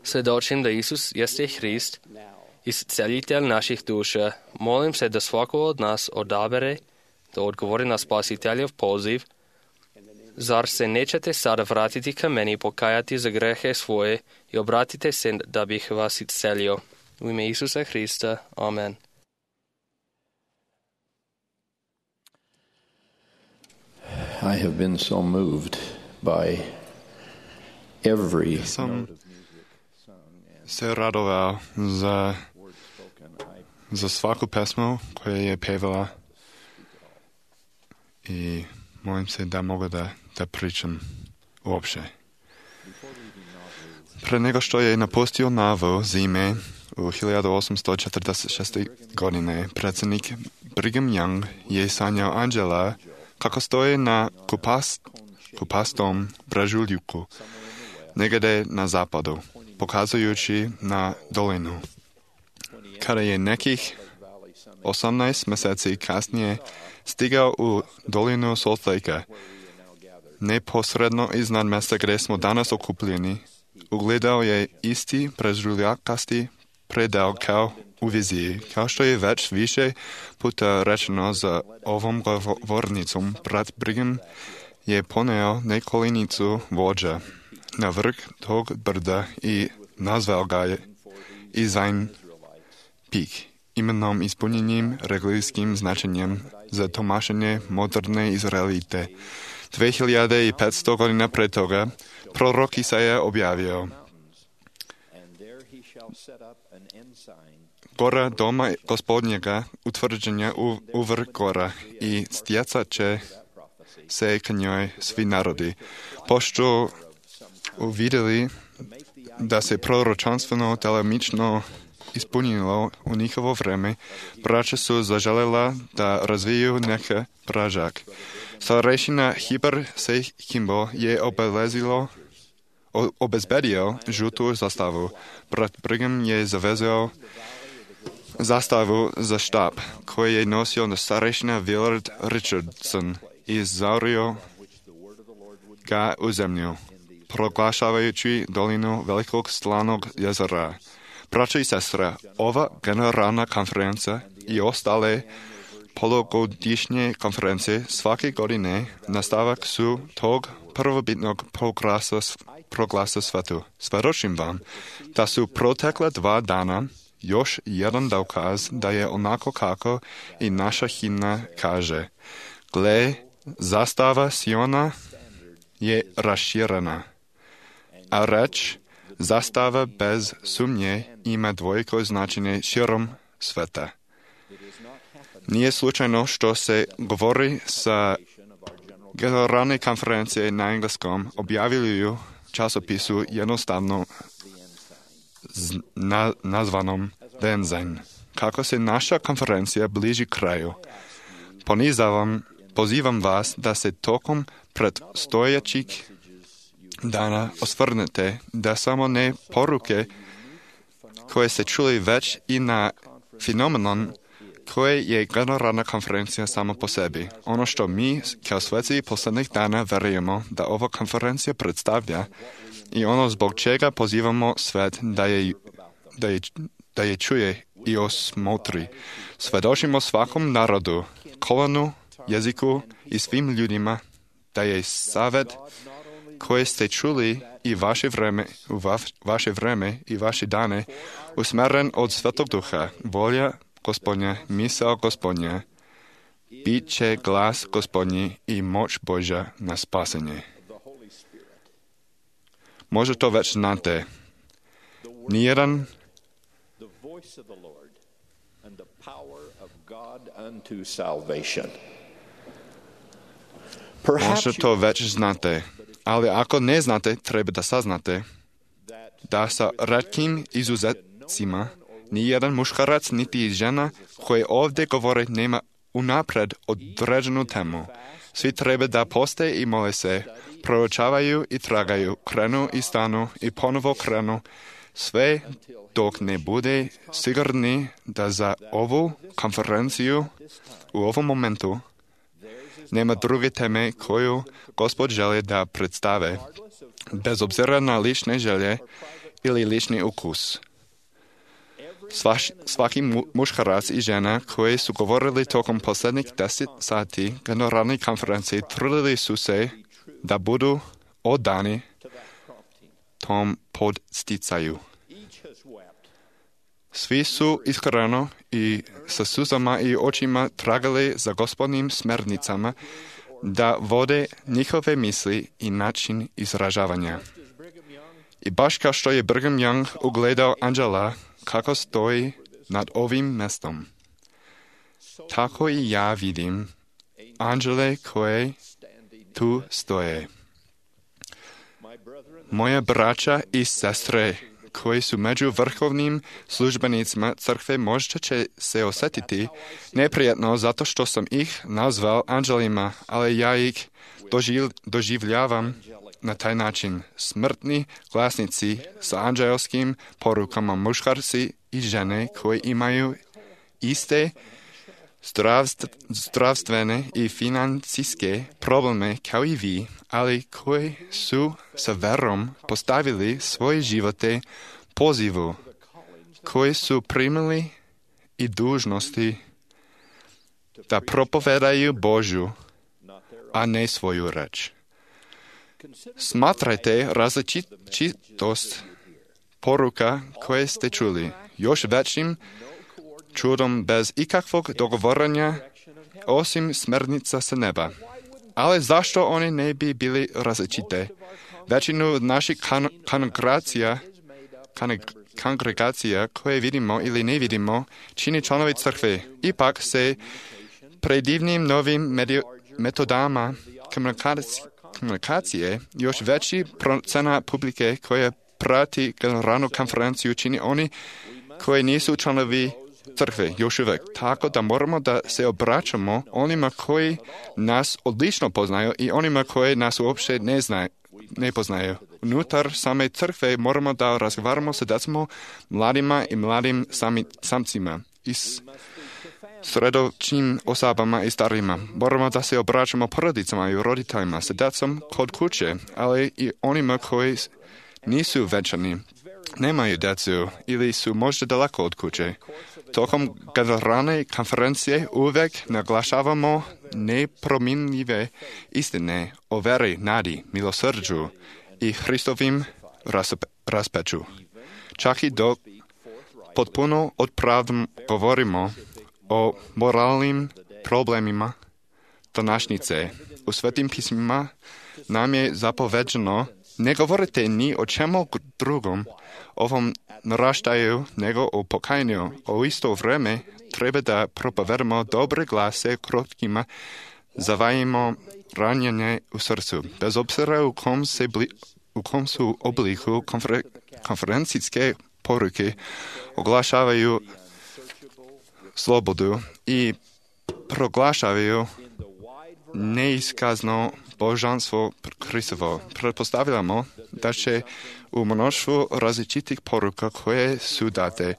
Svjedočim da Isus jeste Hrist, iscelitelj naših duša. Molim se da svako od nas odabere da odgovori na Spasiteljev poziv. Zar se nećete sada vratiti ka meni i pokajati za grehe svoje i obratite se da bih vas iscelio? U ime Isusa Hrista. Amen. I have been so moved by every Sam se radovao za svaku pesmu koja je pevala i molim se da mogu da pričam uopće. Pre nego što je napustio Novu zime u 1846. godine, predsjednik Brigham Young je sanjao anđela kako stoje na kupastom brežuljuku, negdje na zapadu, pokazujući na dolinu. Kada je nekih 18 mjeseci kasnije stigao u dolinu Salt Lake, neposredno iznad mjesta gdje smo danas okupljeni, ugledao je isti brežuljakasti predel kao u viziji. Kao što je već više puta rečeno za ovom govornicom, brat Brigham je poneo nekolinicu vođa na vrh tog brda i nazval ga je Izajn Pik, imenom ispunjenim religijskim značenjem za tomašenje moderne Izraelite. 2500 godina pre toga prorok Isaija objavio: Gora doma gospodnjega utvrđenja u vrh gora i stjecat će se k njoj svi narodi. Pošto uvidjeli da se proročanstveno delimično ispunilo u njihovo vreme, braća su zaželjela da razviju neke pražak. Starešina Hiber Sehimbo je obezbedio žutu zastavu. Brat Brigham je zavezao zastavu za štab, koji je nosio starešina Willard Richardson i zaurio ga u zemlju, proglašavajući dolinu velikog slanog jezera. Braća i sestre, ova generalna konferencija i ostale polugodišnje konferencije svake godine nastavak su tog prvobitnog proglasa svetu. Svjedočim vam da su protekla 2 dana još jedan dokaz da je onako kako i naša himna kaže: Gle, zastava Siona je raširena, a reč zastava bez sumnje ima dvojko značenje širom sveta. Nije slučajno što se govori sa generalne konferencije na engleskom objavljuju časopisu jednostavno nazvanom Denzajn. Kako se naša konferencija bliži kraju, pozivam vas da se tokom predstojećih dana osvrnete da samo ne poruke koje se čuli već i na fenomenon koje je generalna konferencija samo po sebi. Ono što mi kao sveci posljednjih dana verujemo da ova konferencija predstavlja i ono zbog čega pozivamo svet da je čuje i osmotri. Svjedočimo svakom narodu, kolonu, jeziku i svim ljudima da je savjet koje ste čuli i vaše vreme i vaše dane usmjeren od Svetog Duha, volja Gospodnja, misao Gospodnja, bit će glas Gospodnji i moć Božja na spasenje. Možda to već znate. Nijedan možda to već znate, ali ako ne znate, treba da saznate da sa retkim izuzetcima nijedan muškarac niti žena koji ovdje govore nema unapred određenu temu. Svi treba da poste i mole se, proučavaju i tragaju, krenu i stanu i ponovo krenu, sve dok ne bude sigurni da za ovu konferenciju u ovom momentu Nema druge teme koju Gospod želi da predstave, bez obzira na lične želje ili lični ukus. Svaki muškarac i žena koji su govorili tokom posljednjih 10 sati generalne konferencije trudili su se da budu odani tom podsticaju. Svi su iskreno i sa suzama i očima tragali za Gospodnim smjernicama da vode njihove misli i način izražavanja. I baš kao što je Brigham Young ugledao anđela kako stoji nad ovim mjestom, tako i ja vidim anđele koje tu stoje. Moja braća i sestre koji su među vrhovnim službenicima crkve možda će se osjetiti neprijatno zato što sam ih nazval anđelima, ali ja ih doživljavam na taj način. Smrtni glasnici sa anđelskim porukama, muškarci i žene koji imaju iste zdravstvene i financijske probleme kao i vi, ali koji su sa verom postavili svoje živote pozivu, koji su primili i dužnosti da propovedaju Božju, a ne svoju reč. Smatrajte različitost poruka koje ste čuli još većim čudom bez ikakvog dogovaranja osim smjernica sa neba. Ali zašto oni ne bi bili različite? Većinu naših kongregacija koje vidimo ili ne vidimo čini članovi crkve. Ipak se predivnim novim metodama komunikacije još veći procena publike koja prati generalnu konferenciju čini oni koji nisu članovi crkve još uvijek. Tako da moramo da se obraćamo onima koji nas odlično poznaju i onima koji nas uopće ne poznaju. Unutar same crkve moramo da razgovaramo sa djecom, mladima i mladim samcima i sredočnim osobama i starima. Moramo da se obraćamo porodicama i roditeljima sa djecom kod kuće, ali i onima koji nisu venčani, nemaju djecu ili su možda daleko od kuće. Tokom generalne konferencije uvijek naglašavamo nepromjenjive istine o veri, nadi, milosrđu i Hristovim raspeću. Čak i dok potpuno odpravdom govorimo o moralnim problemima današnjice, u Svetim pismima nam je zapoveđeno ne govorite ni o čemu drugom ovom naraštaju nego o pokajanju. O isto vrijeme treba da propovedamo dobre glase krotkima, zavajimo ranjenje u srcu. Bez obzira u kom su obliku konferencijske poruke oglašavaju slobodu i proglašavaju neiskazno božanstvo Hristovo. Pretpostavljamo da će u mnoštvu različitih poruka koje su date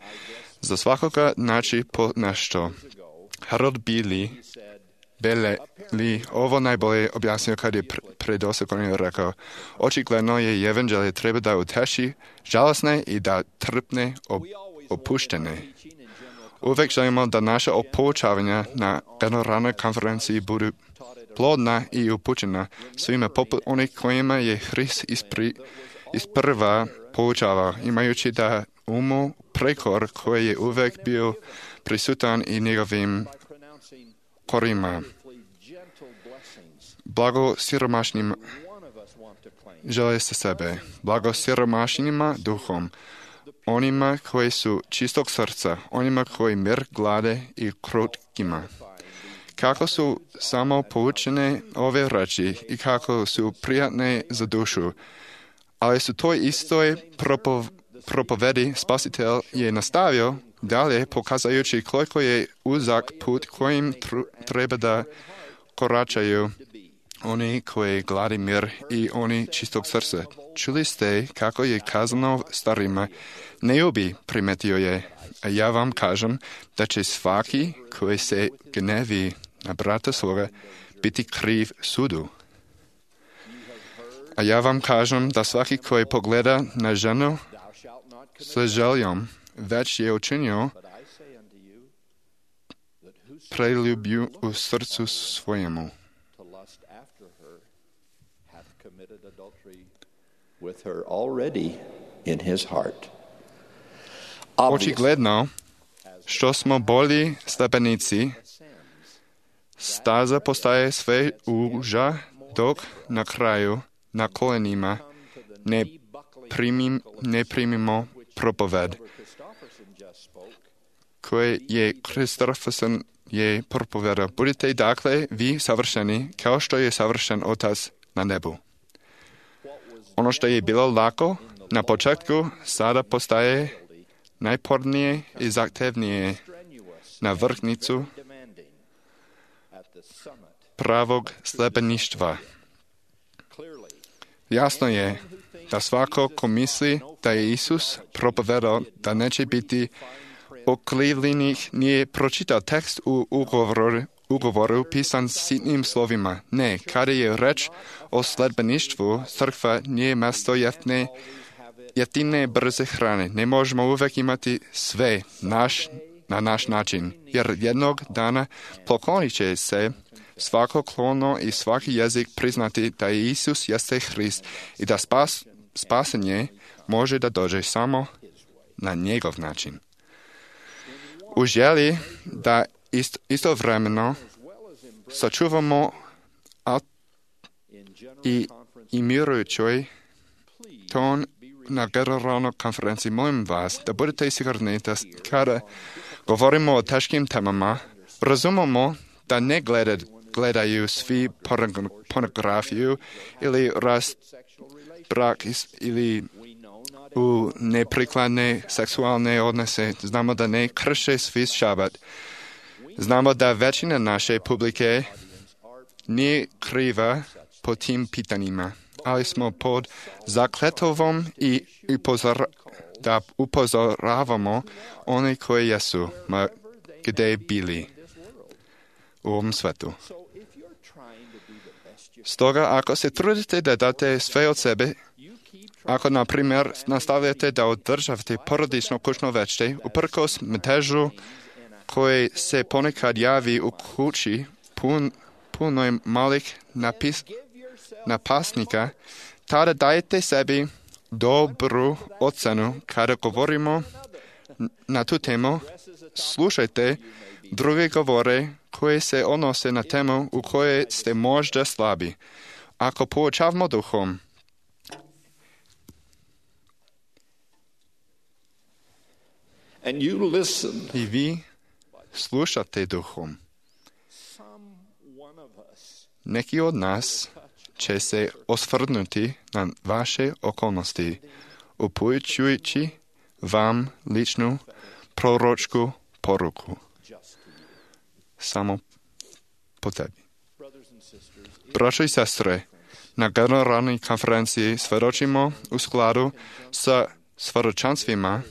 za svakoga naći po nešto. Harold Bailey ovo najbolje objasnio kad je pred 8 godina rekao: očigledno je evanđelje treba da uteši žalosne i da trpne opuštene. Uvijek želimo da naša poučavanja na generalnoj konferenciji budu plodna i upućena svima poput onih kojima je Hrist isprva poučavao, imajući da umu prekor koji je uvijek bio prisutan i njegovim korima. Blago siromašnim žele sa sebe, blago siromašnima duhom, onima koji su čistog srca, onima koji mir glade i krotkima. Kako su samo poučene ove reči i kako su prijatne za dušu, ali su to istoj propovedi Spasitelj je nastavio dalje, pokazajući koliko je uzak put kojim treba da koračaju oni koji gladi mir i oni čistog srca. Čuli ste kako je kazano starima, ne ubi, primetio je, a ja vam kažem da će svaki koji se gnevi na brata svoga biti kriv sudu. A ja vám kažem, da svaki koji pogleda na ženu sa željom, već je učinio preljublju u srcu svojemu. Očigledno, što smo bolji slepenici, staza postaje sve uža, dok na kraju, na kolenima, ne primimo propoved, koje je Kristofferson je propovedao. Budite dakle vi savršeni, kao što je savršen Otac na nebu. Ono što je bilo lako na početku, sada postaje najpornije i zahtevnije na vrhnicu pravog slepeništva. Jasno je da svako ko misli da je Isus propovedao da neće biti okrivljenih nije pročitao tekst u ugovoru pisan sitnim slovima. Ne, kada je reč o sledbeništvu, crkva nije mjesto jeftine brze hrane. Ne možemo uvek imati sve na naš način, jer jednog dana poklonit će se svako klono i svaki jezik priznati da je Isus jeste Hrist i da spasenje može da dođe samo na njegov način. U želji da istovremeno sačuvamo i mirujućoj ton na generalnoj konferenciji, molim vas da budete sigurni da kada govorimo o teškim temama, razumemo da ne gledaju svi pornografiju ili brak ili u neprikladne seksualne odnose. Znamo da ne krše svi šabat. Znamo da većina naše publike nije kriva po tim pitanjima, ali smo pod zakletovom i da upozoravamo one koji jesu, ma gdje bili u ovom svetu. Stoga, ako se trudite da date sve od sebe, ako, na primjer, nastavljate da održavate porodično kućno veče, uprkos metežu koje se ponekad javi u kući punoj malih napasnika, tada dajete sebi dobru ocenu kada govorimo na tu temu. Slušajte druge govore koje se odnose na temu u kojoj ste možda slabi. Ako poučavamo duhom, i vi slušate duhom, neki od nas će se osvrnuti na vaše okolnosti, upućujući vam ličnu proročku poruku. Samo po tebi. Braćo i sestre, na generalnoj konferenciji svjedočimo u skladu sa svjedočanstvima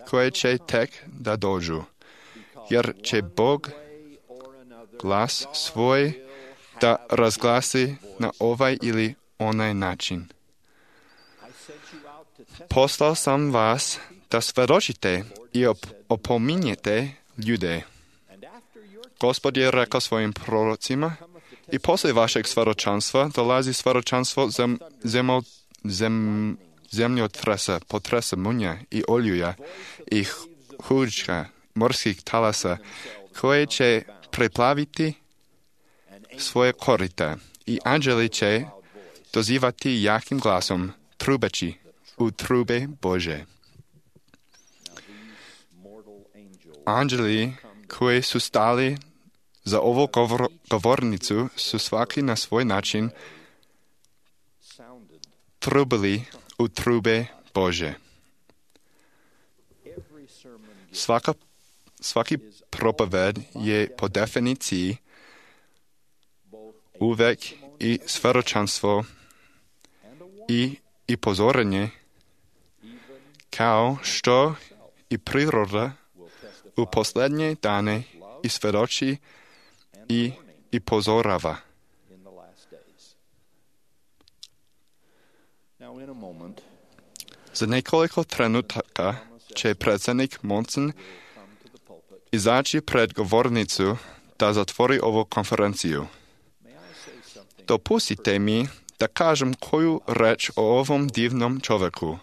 koje će tek da dođu, jer će Bog glas svoj da razglasi na ovaj ili onaj način. Poslao sam vas da svjedočite i opominjete ljude. Gospod je rekao svojim prorocima, i poslije vašeg svjedočanstva dolazi svjedočanstvo zemljotresa, potresa munja i oljuja i hučka morskih talasa, koje će preplaviti svoje korita, i anđeli će dozivati jakim glasom, trubeći u trube Bože. Anđeli koji su stali za ovu govornicu su svaki na svoj način trubili u trube Bože. Svaki propoved je po definiciji uvek i svjedočanstvo i pozorenje, kao što i priroda u posljednje dane i svjedoči i i pozorava. Za nekoliko trenutaka će predsjednik Monson izaći pred govornicu da zatvori ovu konferenciju. Dopustite mi da kažem koju reč o ovom divnom čovjeku,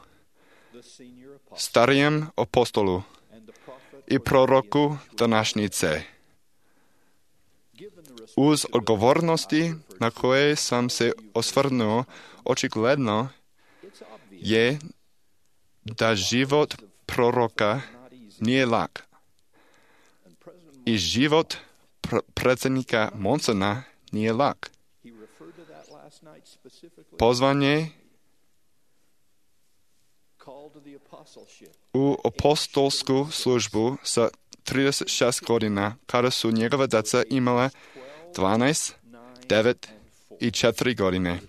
starijem apostolu i proroku današnjice. Uz odgovornosti na koje sam se osvrnuo, očigledno je da život proroka nije lak. I život predsjednika Monsona nije lak. Pozvan je u apostolsku službu sa 36 godina, kada su njegova djeca imala 12, 9 i 4 godine.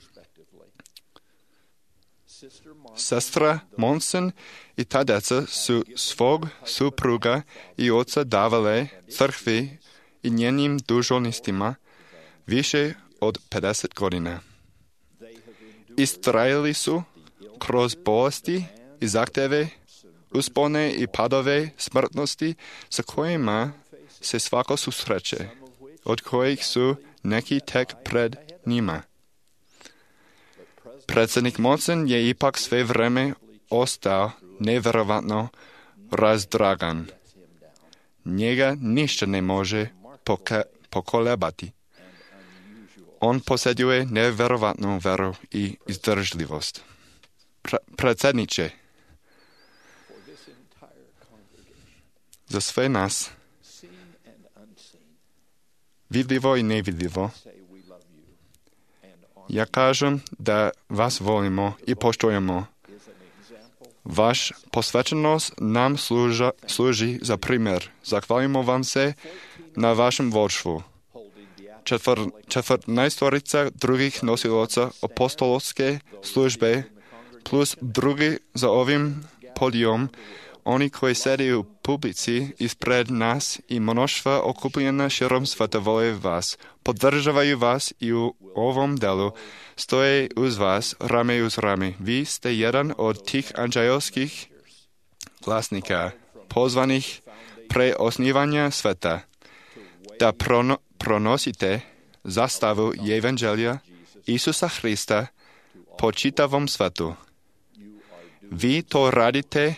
Sestra Monson i ta djeca su svog supruga i oca davale crkvi i njenim dužnostima više od 50 godina. Istrajali su kroz bolesti i zahtjeve, uspone i padove smrtnosti sa kojima se svako susreće, od kojih su neki tek pred njima. Predsjednik Monson je ipak sve vrijeme ostao nevjerovatno razdragan. Njega ništa ne može pokolebati. On posjeduje nevjerovatnu veru i izdržljivost. Predsjedniče, za sve nas, vidljivo i nevidljivo, ja kažem da vas volimo i poštujemo. Vaš posvećenost nam služi za primjer. Zahvaljujemo vam se na vašem vodstvu. 14 drugih nosilaca apostolske službe plus drugi za ovim podijom, oni koji sede u publici ispred nas i mnoštva okupljena širom sveta vole vas, podržavaju vas i u ovom delu stoje uz vas rame uz rame. Vi ste jedan od tih anđelskih glasnika, pozvanih pre osnivanja sveta, da pronosite zastavu Evanđelja Isusa Hrista po čitavom svetu. Vi to radite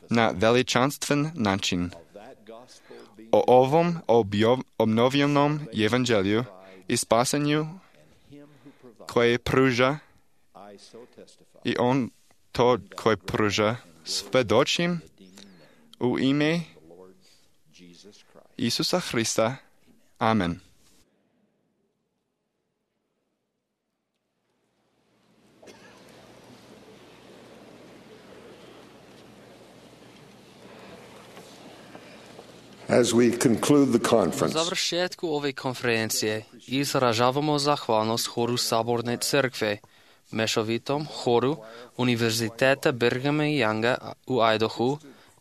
na veličanstven način. O ovom obnovljenom Evanđelju i spasenju koje pruža i on to koje pruža svedočim u ime Isusa Hrista. Amen. As we conclude the U conference, završetku ove konferencije izražavamo zahvalnost horu Saborne crkve, mešovitom horu Univerziteta Brighama Younga u Idahu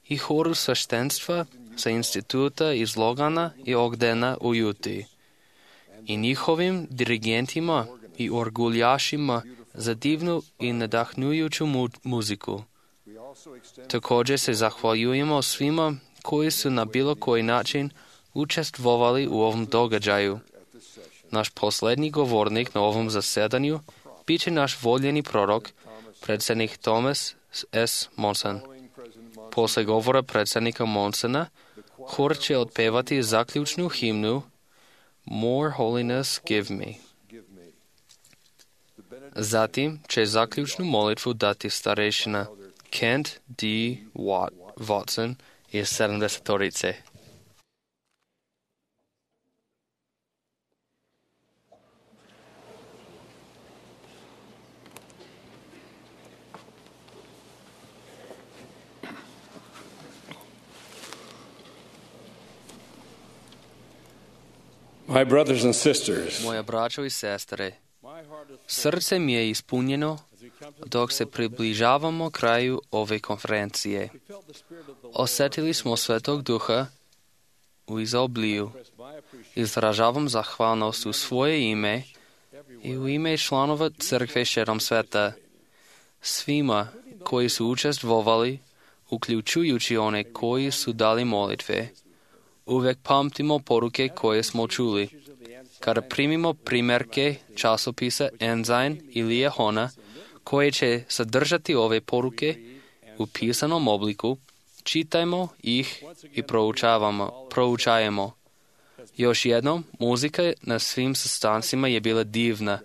i horu sveštenstva sa instituta iz Logana i Ogdena u Utah i njihovim dirigentima i orguljašima za divnu i nadahnujuću muziku. Također se zahvaljujemo svima koji su na bilo koji način učestvovali u ovom događaju. Naš posljednji govornik na ovom zasedanju bit će naš voljeni prorok, predsjednik Thomas S. Monson. Posle govora predsjednika Monsona, hor će otpevati zaključnu himnu More Holiness Give Me. Zatim će zaključnu molitvu dati starešina Kent D. Watson iz 70-torice. My brothers and sisters, Moja braćo i sestre, srce mi je ispunjeno dok se približavamo kraju ove konferencije. Osjetili smo Svetog Duha u izobliju. Izražavam zahvalnost u svoje ime i u ime članova crkve širom sveta. Svima koji su učestvovali, uključujući one koji su dali molitve. Uvijek pamtimo poruke koje smo čuli. Kada primimo primjerke časopisa Ensign ili Jehona, koje će sadržati ove poruke u pisanom obliku, čitajmo ih i proučajemo. Još jednom, muzika na svim sastancima je bila divna.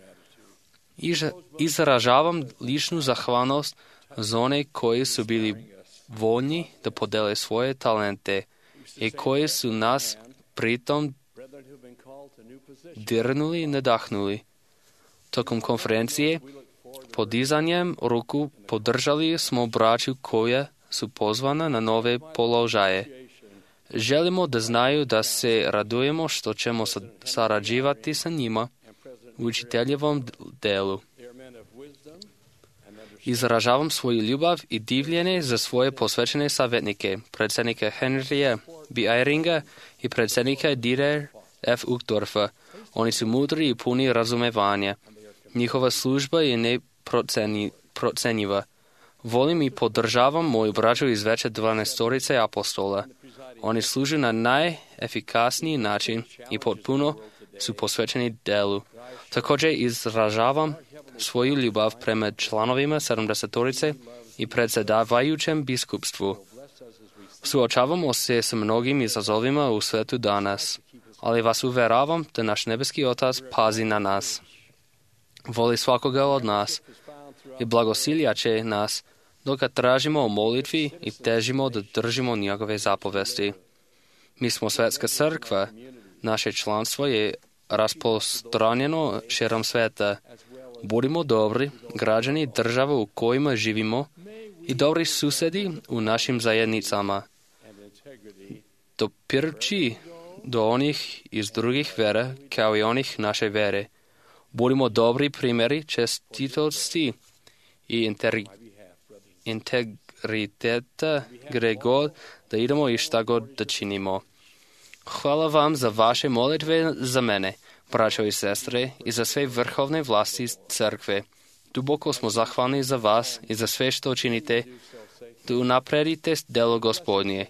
Izražavam ličnu zahvalnost za one koji su bili voljni da podele svoje talente i koji su nas pritom dirnuli i nadahnuli. Tokom konferencije, podizanjem ruku podržali smo braću koja su pozvana na nove položaje. Želimo da znaju da se radujemo što ćemo sarađivati sa njima u učiteljevom delu. Izražavam svoju ljubav i divljenje za svoje posvećene savjetnike, predsjednika Henrya B. Eyringa i predsjednika Dieter F. Uchtdorfa. Oni su mudri i puni razumevanja. Njihova služba je neprocenjiva. Volim i podržavam moju braću iz veće 12 apostola. Oni služe na najefikasniji način i potpuno su posvećeni delu. Također izražavam svoju ljubav prema članovima 70 i predsjedavajućem biskupstvu. Suočavamo se s mnogim izazovima u svetu danas, ali vas uveravam da naš nebeski Otac pazi na nas. Voli svakoga od nas i blagosilja će nas dok tražimo o molitvi i težimo da držimo njegove zapovesti. Mi smo svetska crkva, naše članstvo je rasprostranjeno širom sveta. Budimo dobri građani država u kojima živimo i dobri susedi u našim zajednicama. Dopirči do onih iz drugih vera kao i onih naše vere. Budimo dobri primjeri čestitosti i integriteta gdje god da idemo i šta god da činimo. Hvala vam za vaše molitve za mene, braćo i sestre, i za sve vrhovne vlasti crkve. Duboko smo zahvalni za vas i za sve što činite, da unapredite delo Gospodnje.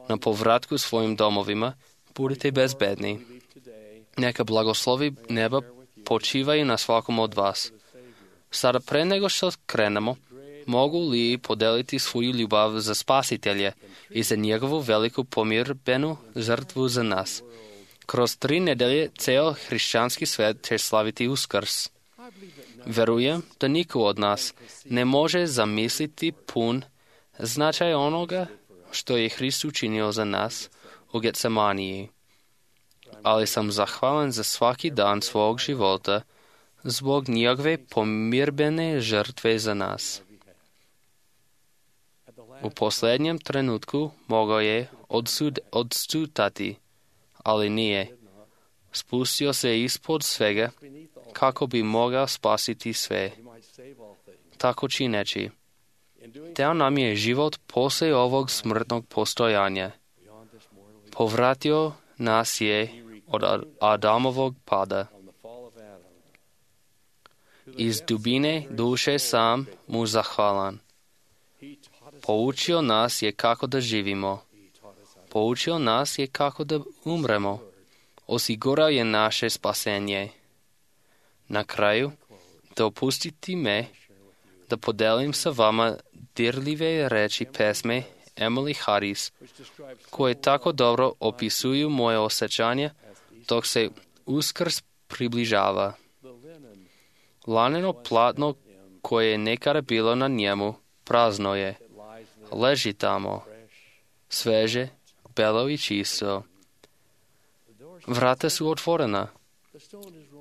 Na povratku svojim domovima budite bezbedni. Neka blagoslovi neba počivaju na svakom od vas. Sada pre nego što krenemo, mogu li podeliti svoju ljubav za Spasitelja i za njegovu veliku pomirbenu žrtvu za nas. Kroz 3 nedelje ceo hrišćanski svet će slaviti Uskrs. Verujem da niko od nas ne može zamisliti pun značaj onoga što je Hrist učinio za nas u Getsemaniji. Ali sam zahvalan za svaki dan svog života zbog njegove pomirbene žrtve za nas. U posljednjem trenutku mogao je odstutati, ali nije. Spustio se ispod svega kako bi mogao spasiti sve. Tako čineći, dao nam je život poslije ovog smrtnog postojanja. Povratio nas je od Adamovog pada. Iz dubine duše sam mu zahvalan. Poučio nas je kako da živimo. Poučio nas je kako da umremo. Osigurao je naše spasenje. Na kraju, dopustite me da podelim sa vama dirljive reči pesme Emily Harris, koje tako dobro opisuju moje osjećanje dok se Uskrs približava. Laneno platno koje je nekada bilo na njemu prazno je. Leži tamo, sveže, belo i čisto. Vrata su otvorena,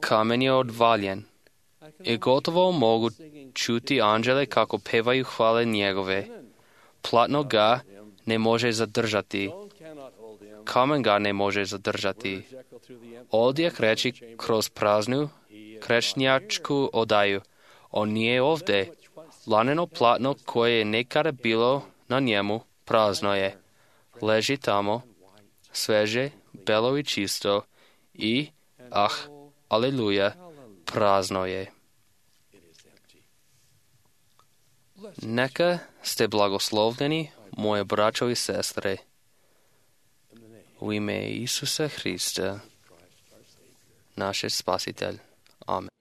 kamen je odvaljen i gotovo mogu čuti anđele kako pevaju hvale njegove. Platno ga ne može zadržati, kamen ga ne može zadržati. Odjek reći kroz praznu krečnjačku odaju. On nije ovdje. Laneno platno koje je nekada bilo na njemu prazno je. Leži tamo, sveže, belo i čisto i, aleluja, prazno je. Neka ste blagoslovljeni, moje braćo i sestre, u ime Isusa Hrista, naš Spasitelj. Amen.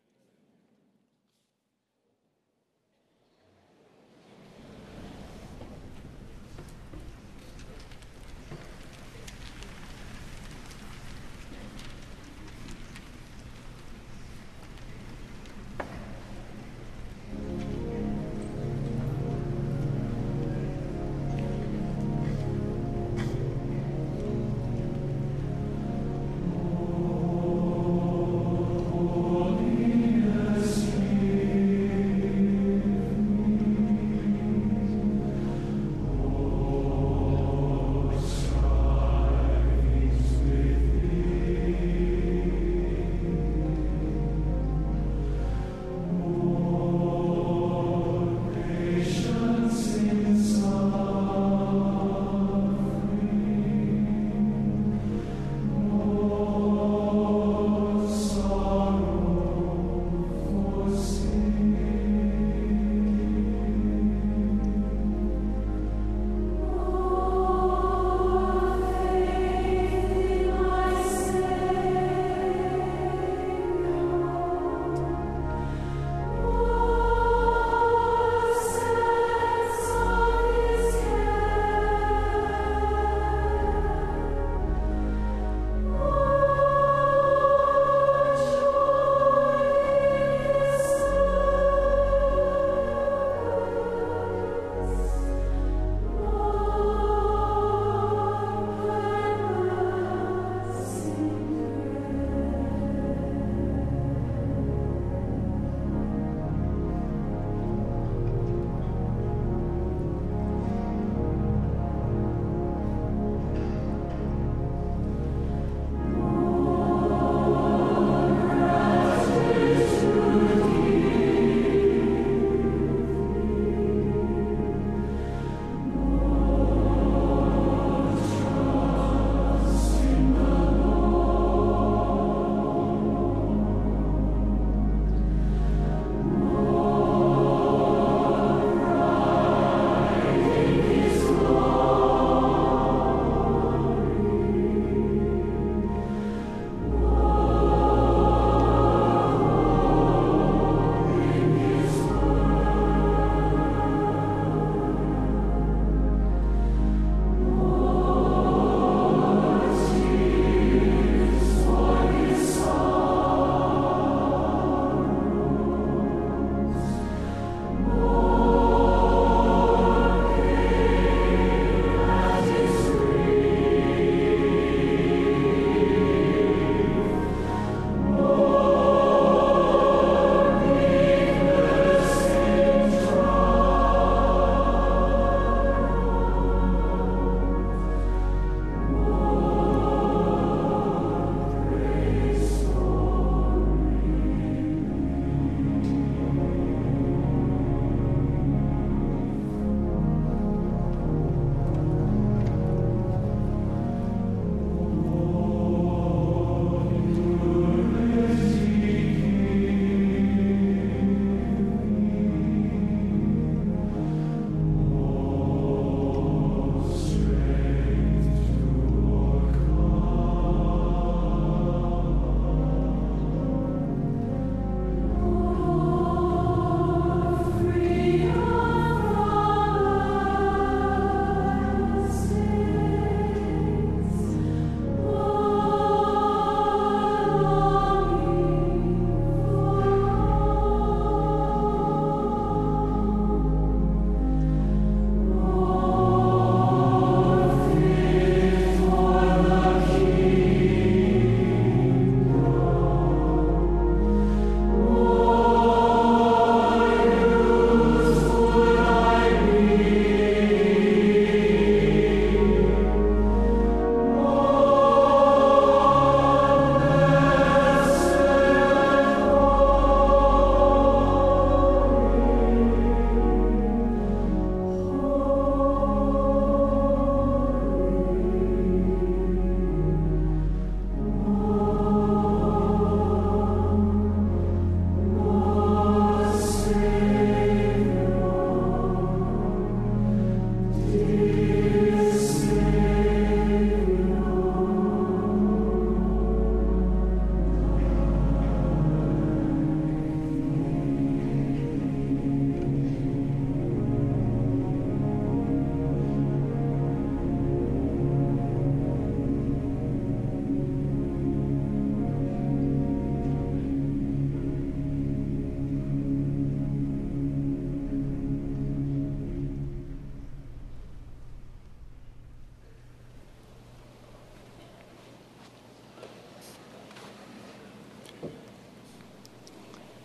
Holy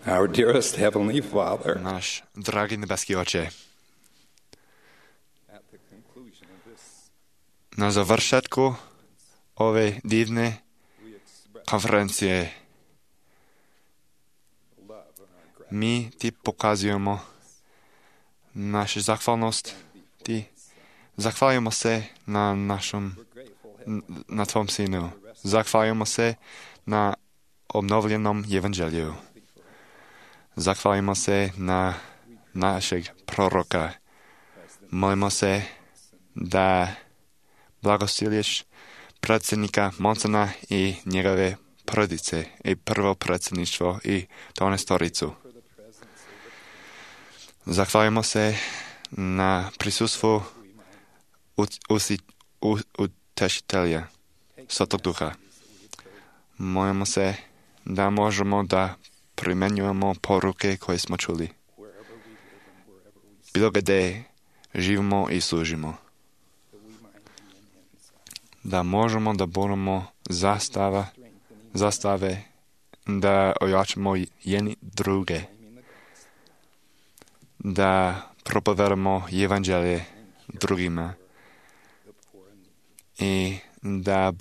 Our dearest Heavenly Father, Naš dragi nebeski Oče, na završetku ove divne konferencije mi ti pokazujemo našu zahvalnost. Zahvaljujemo se na tvom sinu. Zahvaljujemo se na obnovljenom evanđelju. Zahvaljujemo se na našeg proroka. Molimo se da blagosilješ predsjednika Monsona i njegove porodice i prvo predsjedništvo i 12-toricu. Zahvaljujemo se na prisustvu utešitelja Svetog Duha. Molimo se da možemo da primjenjujemo poruke koje smo čuli. Bilo gdje živimo i služimo. Da možemo da budemo zastave, da ojačamo jedni druge, da propovedamo evanđelje drugima i da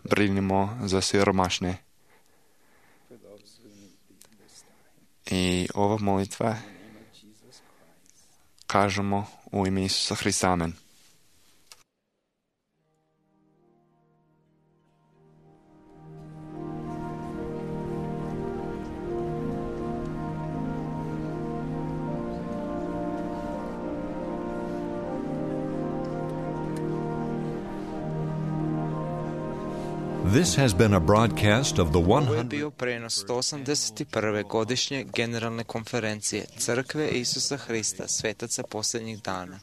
brinemo za siromašne. I ova molitva kažemo u ime Isusa Hrista. Amen. This has been a broadcast of the Ovo je bio prenos 181. godišnje generalne konferencije Crkve Isusa Hrista, svetaca posljednjih dana.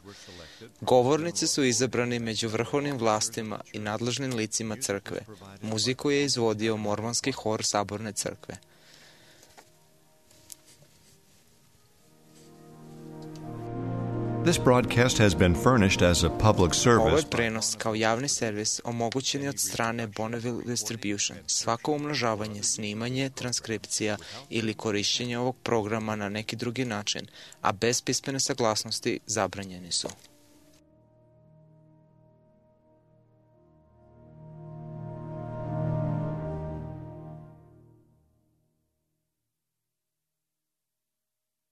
Govornici su izabrani među vrhovnim vlastima i nadležnim licima crkve. Muziku je izvodio mormonski hor Saborne crkve. This broadcast has been furnished as a public service. Ovo je prenos kao javni servis omogućen je od strane Bonneville Distribution. Svako umnožavanje, snimanje, transkripcija ili korišćenje ovog programa na neki drugi način, a bez pismene saglasnosti, zabranjeni su.